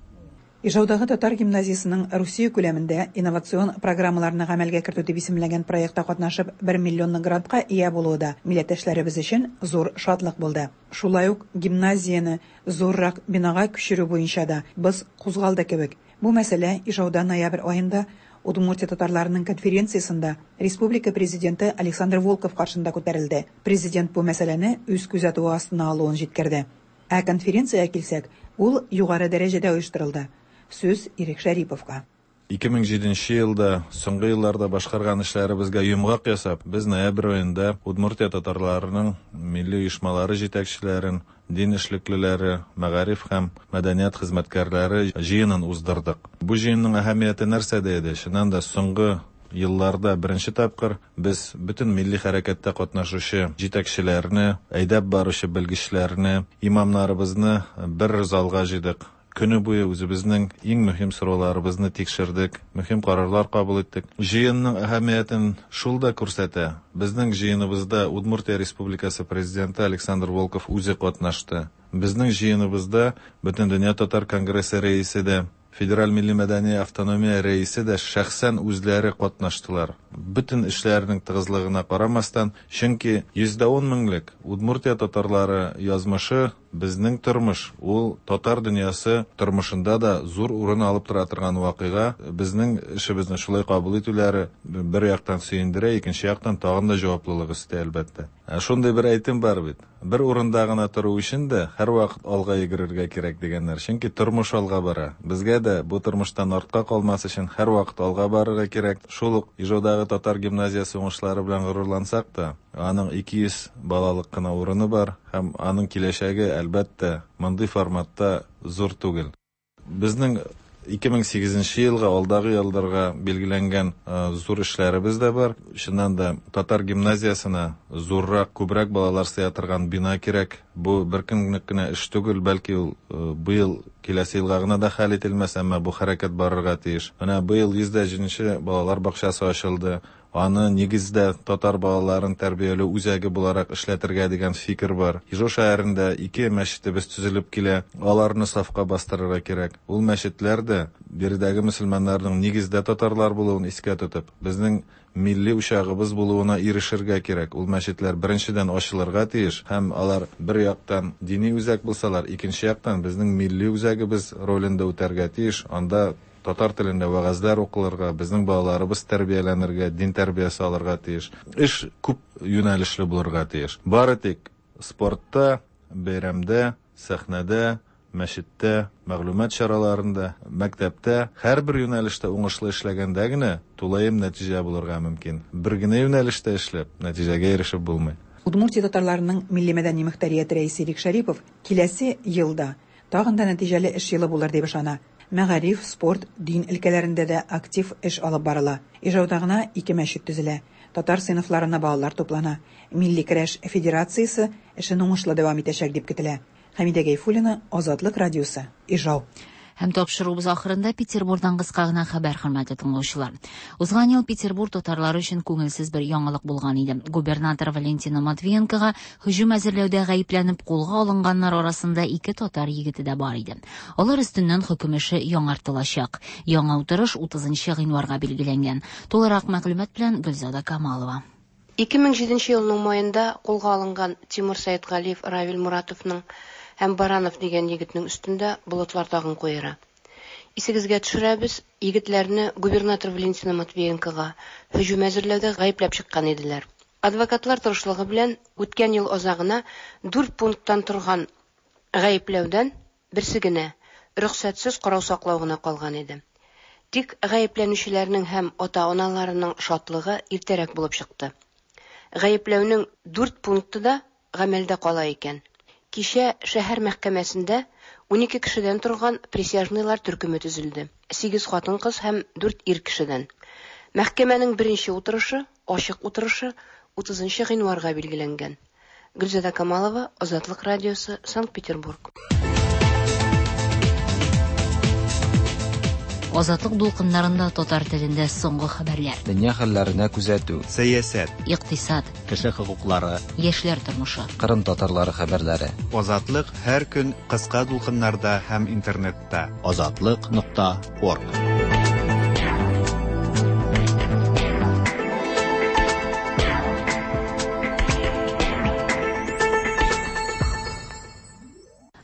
Ижаудагы татар гимназиясының Русия күләмендә инновацион программаларны гамәлгә кертү дип исемләнгән проектта катнашып бер миллионлык грантка ия булуы да милләттәшләребез өчен зур шатлык булды. Шулай ук гимназияне зуррак бинага күчерү буенча да без кузгалды кебек. Бу мәсьәлә Ижауда ноябрь аенда Удмуртия татарларының конференциясендә республика президенты Александр Волков каршында күтәрелде. Президент бу мәсьәләне үз күзәтүе астына алуын җиткерде. Ә конференциягә килсәк, ул югары дәрәҗәдә оештырылды. Сүз Ирек Шәриповка. ике мең җиденче елда соңгы елларда башкарган эшләребезгә йомгак ясап, без ноябрь аенда Удмуртия татарларының милли оешмалары җитәкчеләрен, дин эшлеклеләре, мәгариф һәм мәдәният хезмәткәрләре җыенын уздырдык. Бу җыенның әһәмияте нәрсәдә иде? Чыннан да соңгы елларда беренче тапкыр без бөтен милли хәрәкәттә катнашучы җитәкчеләрне, әйдәп баручы белгечләрне, имамнарыбызны бер залга җыйдык. Көне буе үзебезнең иң мөһим сорауларыбызны тикшердек, мөһим карарлар кабул иттек. Җыенның әһәмиятен шул да күрсәтә. Безнең җыеныбызда Удмуртия Республикасы президенты Александр Волков үзе катнашты. Безнең җыеныбызда Бөтендөнья татар конгрессы рәисе дә, Федераль милли мәдәни автономия рәисе дә шәхсән үзләре катнаштылар. Бөтен эшләренең тыгызлыгына карамастан, чөнки йөз дә ун меңлек Удмуртия татарлары язмышы безнең тормыш, ул татар дөньясы тормышында да зур урын алып тора торган вакыйга. Безнең эшебезне шулай кабул итүләре бер яктан сөендерә, икенче яктан тагын да җаваплылык өсти, әлбәттә. Ә шундый бер әйтем бар бит. Бер урында гына тору өчен дә һәрвакыт алга йөгерергә кирәк дигәннәр. Чөнки тормыш алга бара. Безгә дә бу тормыштан артка калмас өчен һәрвакыт алга барырга кирәк. Шул ук Ижаудагы татар гимназиясе уңышлары белән горурлансак та, аның ике йөз балалык кына урыны бар һәм аның киләчәге әлбәттә мондый форматта зур түгел. Безнең ике мең сигезенче елга, алдагы елларга билгеләнгән зур эшләребез дә бар. Чыннан да татар гимназиясенә зуррак, күбрәк балалар сыя торган бина кирәк. Бу бер көнлек кенә эш түгел, бәлки ул быел киләсе елга гына да хәл ителмәс, әмма бу хәрәкәт барырга тиеш. Менә быел йөз дә җиденче балалар бакчасы ачылды. Аны нигездә татар балаларын тәрбияләү үзәге буларак эшләтергә дигән фикер бар. Ижау шәһәрендә ике мәчетебез төзелеп килә. Аларны сафка бастырырга кирәк. Ул мәчетләр дә биредәге мөселманнарның нигездә татарлар булуын искә тотып, безнең милли учагыбыз булуына ирешергә кирәк. Ул мәчетләр беренчедән ачылырга тиеш һәм алар бер яктан дини үзәк булсалар, икенче яктан безнең милли үзәгебез ролен дә үтәргә тиеш. Анда татар телендә вәгазьләр укылырга, безнең балаларыбыз тәрбияләнергә, дин тәрбиясе алырга тиеш. Эш күп юнәлешле булырга тиеш. Бары тик спортта, бәйрәмдә, сәхнәдә, мәчеттә, мәгълүмат чараларында, мәктәптә һәрбер юнәлештә уңышлы эшләгәндә генә тулаем нәтиҗә булырга мөмкин. Бер генә юнәлештә эшләп, нәтиҗәгә ирешеп булмый. Удмуртия татарларының милли мәдәни мөхтәрияте рәисе Ирек Шәрипов киләсе елда тагын да нәтиҗәле эш елы булыр дип ышана. Мәгариф, спорт, дин өлкәләрендә дә актив эш алып барыла. Ижауда гына ике мәчет төзелә. Татар сыйныфларына балалар туплана. Милли көрәш федерациясе эшен уңышлы дәвам итәчәк дип көтелә. Хәмидә Гайфуллина, Азатлык радиосы, Ижау. Һәм тапшыруыбыз ахырында Петербургдан кыска гына хәбәр, хөрмәтле тыңлаучылар. Узган ел Петербург татарлары өчен күңелсез бер яңалык булган иде. Губернатор Валентина Матвиенкога һөҗүм әзерләүдә гаепләнеп кулга алынганнар арасында ике татар егете дә бар иде. Алар өстеннән хөкем эше яңартылачак. Яңа утырыш утызынчы гыйнварга билгеләнгән. Тулырак мәгълүмат белән Гөлзада Камалова. ике мең җиденче елның майында кулга алынган Тимур Сәетгалиев Равил Муратовның һәм Баранов дигән егетнең өстендә болытлар тагын куера. Исегезгә төшерәбез, егетләрне губернатор Валентина Матвиенкога һөҗүм әзерләүдә гаепләп чыккан иделәр. Адвокатлар тырышлыгы белән үткән ел азагына дүрт пункттан торган гаепләүдән берсе генә рөхсәтсез карау саклау гына калган иде. Тик гаепләнүчеләрнең һәм ата-аналарының шатлыгы иртәрәк булып чыкты. Гаепләүнең дүрт пункты да гамәлдә кала икән. Кичә шәһәр мәхкәмәсендә унике кешедән торган присяжныйлар төркеме төзелде. Сигез хатын-кыз һәм дүрт ир кешедән. Мәхкәмәнең беренче утырышы, ачык утырышы утызынчы гыйнварга билгеләнгән. Гөлзада Камалова, Азатлык радиосы, Санкт-Петербург. Азатлык дулкыннарында татар телендә соңгы хәбәрләр. Дөнья хәлләренә күзәтү, сәясәт, икътисад, кеше хокуклары, яшьләр тормышы, Кырым татарлары хәбәрләре. Азатлык һәр көн кыска дулкыннарда һәм интернетта. Азатлык нокта орг.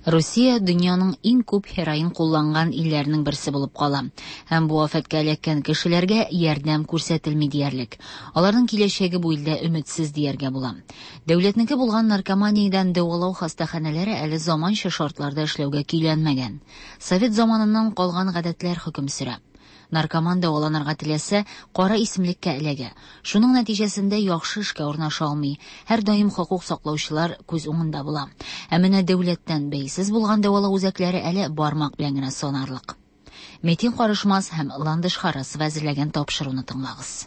Русия дөньяның иң күп һероин кулланган илләренең берсе булып кала. Һәм бу афәткә эләккән кешеләргә ярдәм күрсәтелми диярлек. Аларның киләчәге бу илдә өметсез дияргә була. Дәүләтнеке булган наркоманиядән дәвалау хастаханәләре әле заманча шартларда эшләүгә көйләнмәгән. Совет заманыннан калган гадәтләр хөкем сөрә. Наркоман дәваланырга теләсә, кара исемлеккә эләгә. Шуның нәтиҗәсендә яхшы эшкә урнаша алмый. Һәр даим хокук саклаучылар күз уңында була. Ә менә дәүләттән бәйсез булган дәвалау үзәкләре әле бармак белән генә санарлык. Метин Карышмас һәм Ландыш Харасова әзерләгән тапшыруны тыңлагыз.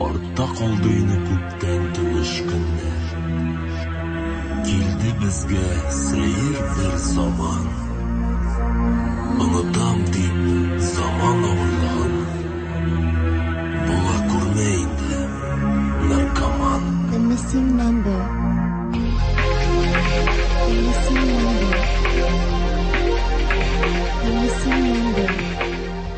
Артта калды инде күптән тыныч көннәр. Килде безгә сәер бер заман. Онытам дип заман авырлыгын. Була күрмә инде наркоман. The missing number. The missing number. The missing number.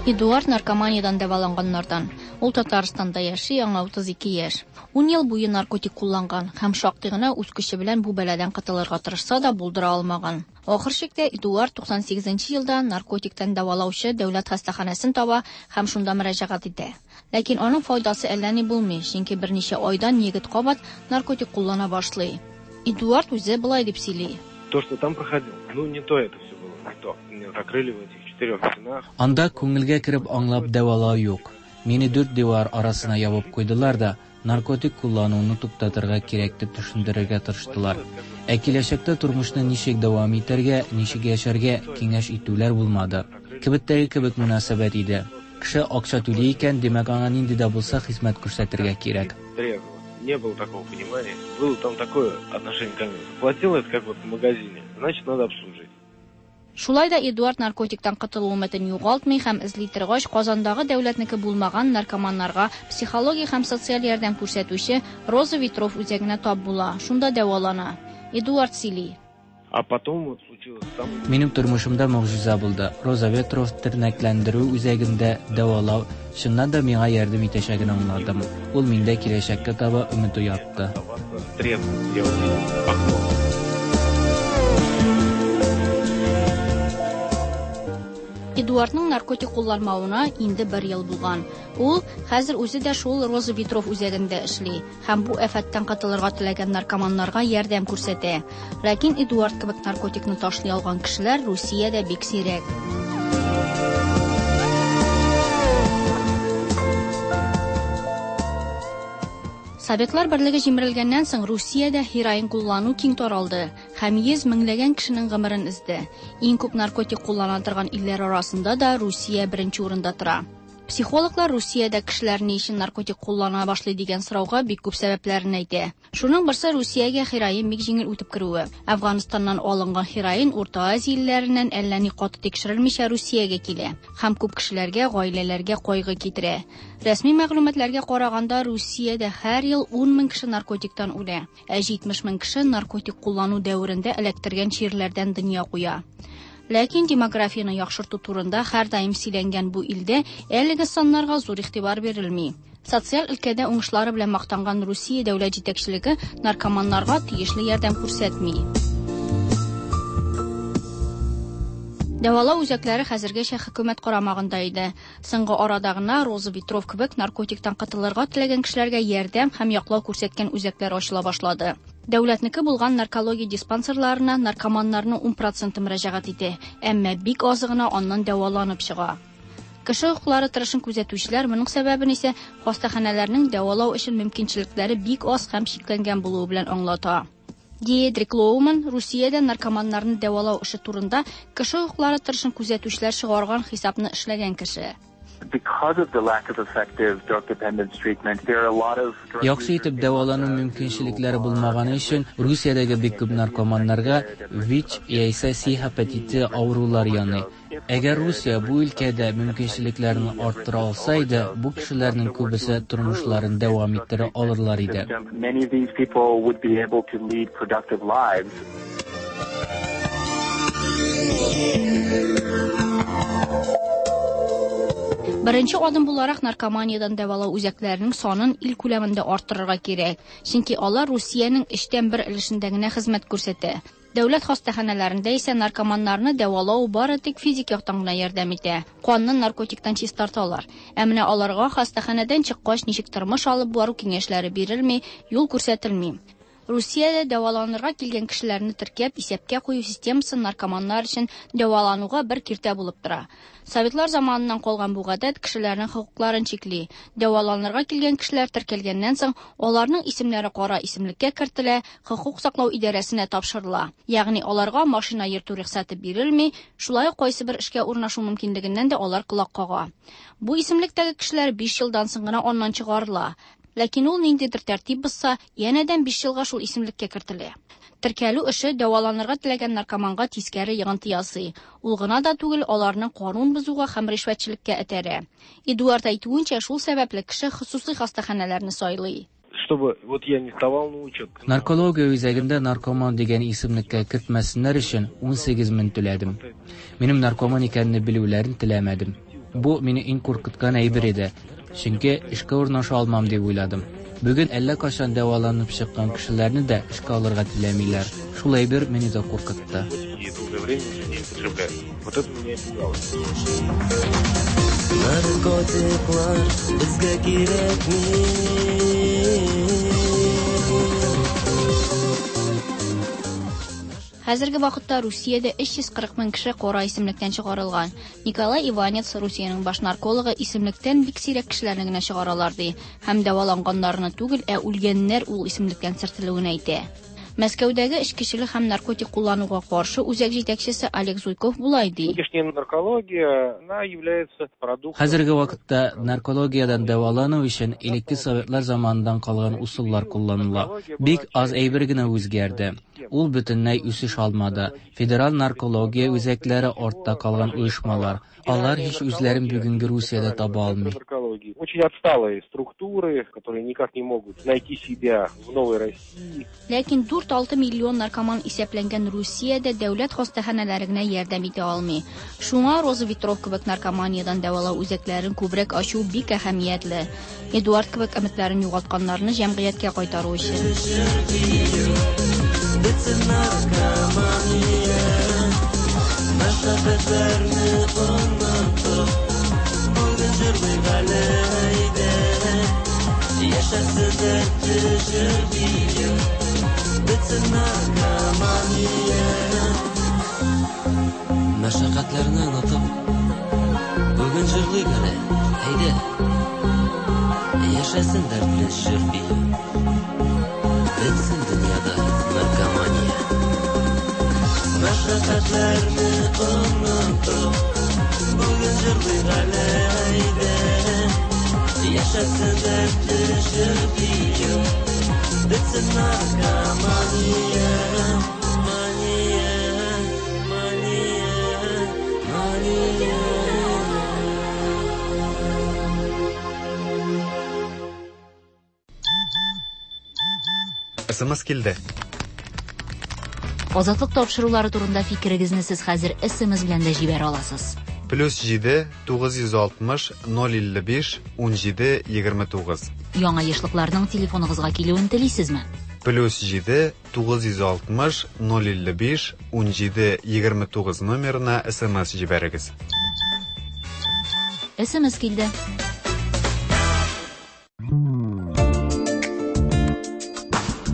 Эдуард наркоманиядән дәваланганнардан. Ул Татарстанда яши, аңа утыз ике яшь. Ун ел буе наркотик кулланган һәм шактый гына үз көче белән бу бәладән котылырга тырышса да булдыра алмаган. Ахыр чиктә Эдуард туксан сигезенче елда наркотиктан дәвалаучы дәүләт хастаханәсен таба һәм шунда мөрәҗәгать итә. Ләкин аның файдасы әллә ни булмый, чөнки берничә айдан егет кабат наркотик куллана башлый. Эдуард үзе болай дип сөйли. То, что там проходил, ну не то это все было, не то. Меня закрыли в этих четырех стенах. Анда күңелгә кереп аңлап дәвалау юк. Мине дүрт дивар арасына ябып куйдылар да, наркотик куллануны туктатырга кирәк дип төшендерергә тырыштылар. Ә киләчәктә тормышны ничек дәвам итәргә, ничек яшәргә киңәш итүләр булмады. Кибеттәге кебек мөнәсәбәт иде. Кеше акча түли икән, димәк аңа нинди дә булса хезмәт күрсәтергә кирәк. Не было такого понимания. Было там такое отношение ко мне. Заплатил это как вот в магазине, значит, надо обслужить. Шулай да Эдуард наркотиктан котылу өметен югалтмый һәм эзли торгач Казандагы дәүләтнеке булмаган наркоманнарга психология һәм социаль ярдәм күрсәтүче Роза Ветров үзәгенә тап була. Шунда дәвалана. Эдуард сөйли. А потом вот случилось там. Минем тормышымда могҗиза булды. Роза Ветров тернәкләндерү үзәгендә дәвалау чыннан да миңа ярдәм итәчәген аңладым. Ул миндә киләчәккә таба өмет уятты. Эдуардның наркотик кулланмавына инде бер ел булган. Ул хәзер үзе дә шул Роза Ветров үзәгендә эшли һәм бу афәттән котылырга теләгән наркоманнарга ярдәм күрсәтә. Ләкин Эдуард кебек наркотикны ташлый алган кешеләр Русиядә бик сирәк. Советлар берлеге җимерелгәннән соң Русиядә һероин куллану киң таралды һәм йөз меңләгән кешенең гомерен өзде. Иң күп наркотик куллана торган илләр арасында да Русия беренче урында тора. Психологлар Русиядә кешеләр ни өчен наркотик куллана башлый дигән сорауга бик күп сәбәпләрен әйтә. Шуның берсе Русиягә һероин бик җиңел үтеп керүе. Әфганстаннан алынган һероин Урта Азия илләреннән әллә ни каты тикшерелмичә Русиягә килә һәм күп кешеләргә, гаиләләргә кайгы китерә. Рәсми мәгълүматларга караганда, Русиядә һәр ел ун мең кеше наркотиктан үлә, ә җитмеш мең кеше наркотик куллану дәверендә эләктергән чирләрдән дөнья куя. Ләкин демографияне яхшырту турында һәр даим сөйләнгән бу илдә әлеге саннарга зур игътибар бирелми. Социаль өлкәдә уңышлары белән мактанган Русия дәүләт җитәкчелеге наркоманнарга тиешле ярдәм күрсәтми. Дәвалау үзәкләре хәзергәчә хөкүмәт карамагында иде. Соңгы арада гына Роза Ветров кебек наркотиктан котылырга теләгән кешеләргә ярдәм һәм яклау күрсәткән үзәкләр ачыла башлады. Дәүләтнеке булган наркология диспансерларына наркоманнарның ун проценты мөрәҗәгать итә, әмма бик азы гына аннан дәваланып чыга. Кеше хокуклары тырышын күзәтүчеләр моның сәбәбен исә хастаханәләрнең дәвалау өчен мөмкинчелекләре бик аз һәм чикләнгән булуы белән аңлата. Диедрик Лоуман Русиядә наркоманнарны дәвалау эше турында кеше хокуклары тырышын күзәтүчеләр чыгарган хисапны эшләгән кеше. Яхшы итеп дәвалану мөмкинчелекләре булмаганы өчен Русиядәге бик күп наркоманнарга ВИЧ яисә С гепатиты авырулар яный. Әгәр Русия бу өлкәдә мөмкинчелекләрне арттыра алса иде, бу кешеләрнең күбесе тормышларын дәвам иттерә алырлар иде. Беренче адым буларак наркоманиядән дәвалау үзәкләренең санын ил күләмендә арттырырга кирәк, чөнки алар Русиянең өчтән бер өлешендә генә хезмәт күрсәтә. Дәүләт хастаханәләрендә исә наркоманнарны дәвалау бары тик физик яктан гына ярдәм итә. Канны наркотиктан чистарталар. Ә менә аларга хастаханәдән чыккач ничек тормыш алып бару киңәшләре бирелми, юл күрсәтелми. Русиядә дәваланырга килгән кешеләрне теркәп, исәпкә кую системасы наркоманнар өчен дәвалануга бер киртә булып тора. Советлар заманыннан калган бу гадәт кешеләрнең хокукларын чикли. Дәваланырга килгән кешеләр теркәлгәннән соң, аларның исемнәре кара исемлеккә кертелә, хокук саклау идарәсенә тапшырыла. Ягъни аларга машина йөртү рөхсәте бирелми, шулай ук кайсы бер эшкә урнашу мөмкинлегеннән дә алар колак кага. Бу исемлектәге кешеләр биш елдан соң гына аннан чыгарыла. Ләкин ул ниндидер тәртип бозса, янәдән биш елга шул исемлеккә кертелә. Теркәлү эше дәваланырга теләгән наркоманга тискәре йогынты ясый. Ул гына да түгел, аларны канун бозуга һәм ришвәтчелеккә этәрә. Эдуард әйтүенчә, шул сәбәпле кеше хосусый хастаханәләрне сайлый. Чтобы вот я не вставал на учет. Наркология үзәгендә наркоман дигән исемлеккә кертмәсеннәр өчен ун сигез мең түләдем. Минем наркоман икәнне белүләрен теләмәдем. Бу мине иң куркыткан әйбер иде. Чөнки эшкә урнаша алмам дип уйладым. Бүген әллә кайчан дәваланып чыккан кешеләрне дә эшкә алырга теләмиләр. Шул әйбер мине дә куркытты. Наркотиклар безгә кирәкми. Хәзерге вакытта Русиядә өч йөз кырык мең кеше кара исемлектән чыгарылган. Николай Иванец, Русиянең баш наркологы, исемлектән бик сирәк кешеләрне генә чыгаралар ди. Һәм дәваланганнарны түгел, ә үлгәннәр ул исемлектән сөртелүен әйтә. Мәскәүдәге эчкечелек һәм наркотик куллануга каршы үзәк җитәкчесе Олег Зуйков булай ди. Хәзерге вакытта наркологиядән дәвалану өчен элекке советлар заманыннан калган усуллар кулланыла. Бик аз әйбер генә үзгәрде. Ул бөтенләй үсеш алмады. Федераль наркология үзәкләре артта калган оешмалар. Алар һич үзләрен бүгенге Русиядә таба алмый. Очень отсталые структуры, которые никак не могут найти себя в новой России. Ләкин дүрт алты миллион наркоман исәпләнгән Русиядә дәүләт хастаханәләре генә ярдәм итә алмый. Шуңа Роза Ветров кебек наркоманиядән дәвалау үзәкләрен күбрәк ачу бик әһәмиятле. Эдуард кебек өметләрен югалтканнарны җәмгыятькә кайтару өчен. Бетсен наркомания, мәшәкатьләрне онытып, бүген җырлыйк әле әйдә. Яшәсен дәртле җыр бию, бетсен наркомания. Мәшәкатьләрне онытып, бүген җырлыйк әле әйдә. Яшәсен дәртле җыр бию, бетсен дөньяда наркомания. Мәшәкатьләрне онытып, бүген җырлыйк әле әйдә. Яшәсен дәртле җыр бию, бетсен наркомания. Мания, мания, мания. эс эм эс килде. Азатлык тапшырулары турында фикерегезне сез хәзер эс эм эс белән дә җибәрә аласыз. Плюс җиде тугыз йөз алтмыш ноль илле биш ун җиде егерме тугыз. Яңа ешлыкларның телефоныгызга килүен телисезме? Плюс җиде тугыз йөз алтмыш ноль илле биш ун җиде егерме тугыз номерына эс эм эс җибәрегез. эс эм эс килде.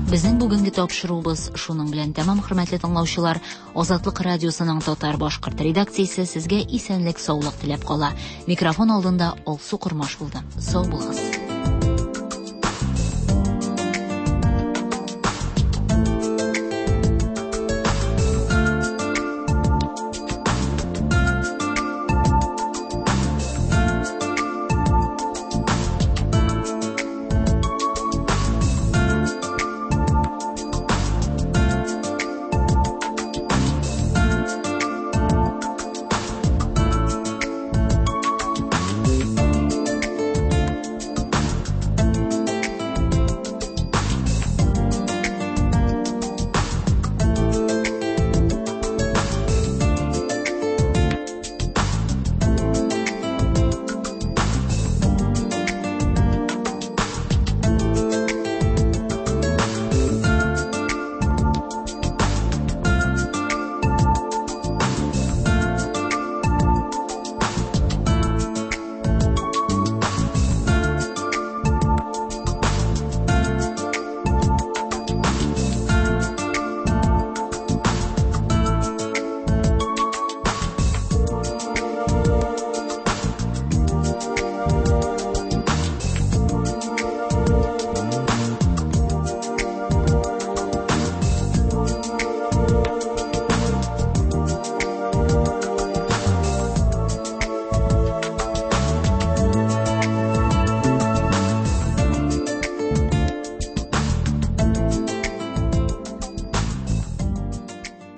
Безнең бүгенге тапшыруыбыз шуның белән тәмам, хөрмәтле тыңлаучылар. Азатлык радиосының татар башкорт редакциясе сезгә исәнлек, саулык теләп кала. Микрофон алдында Алсу Кормаш булды. Сау булыгыз.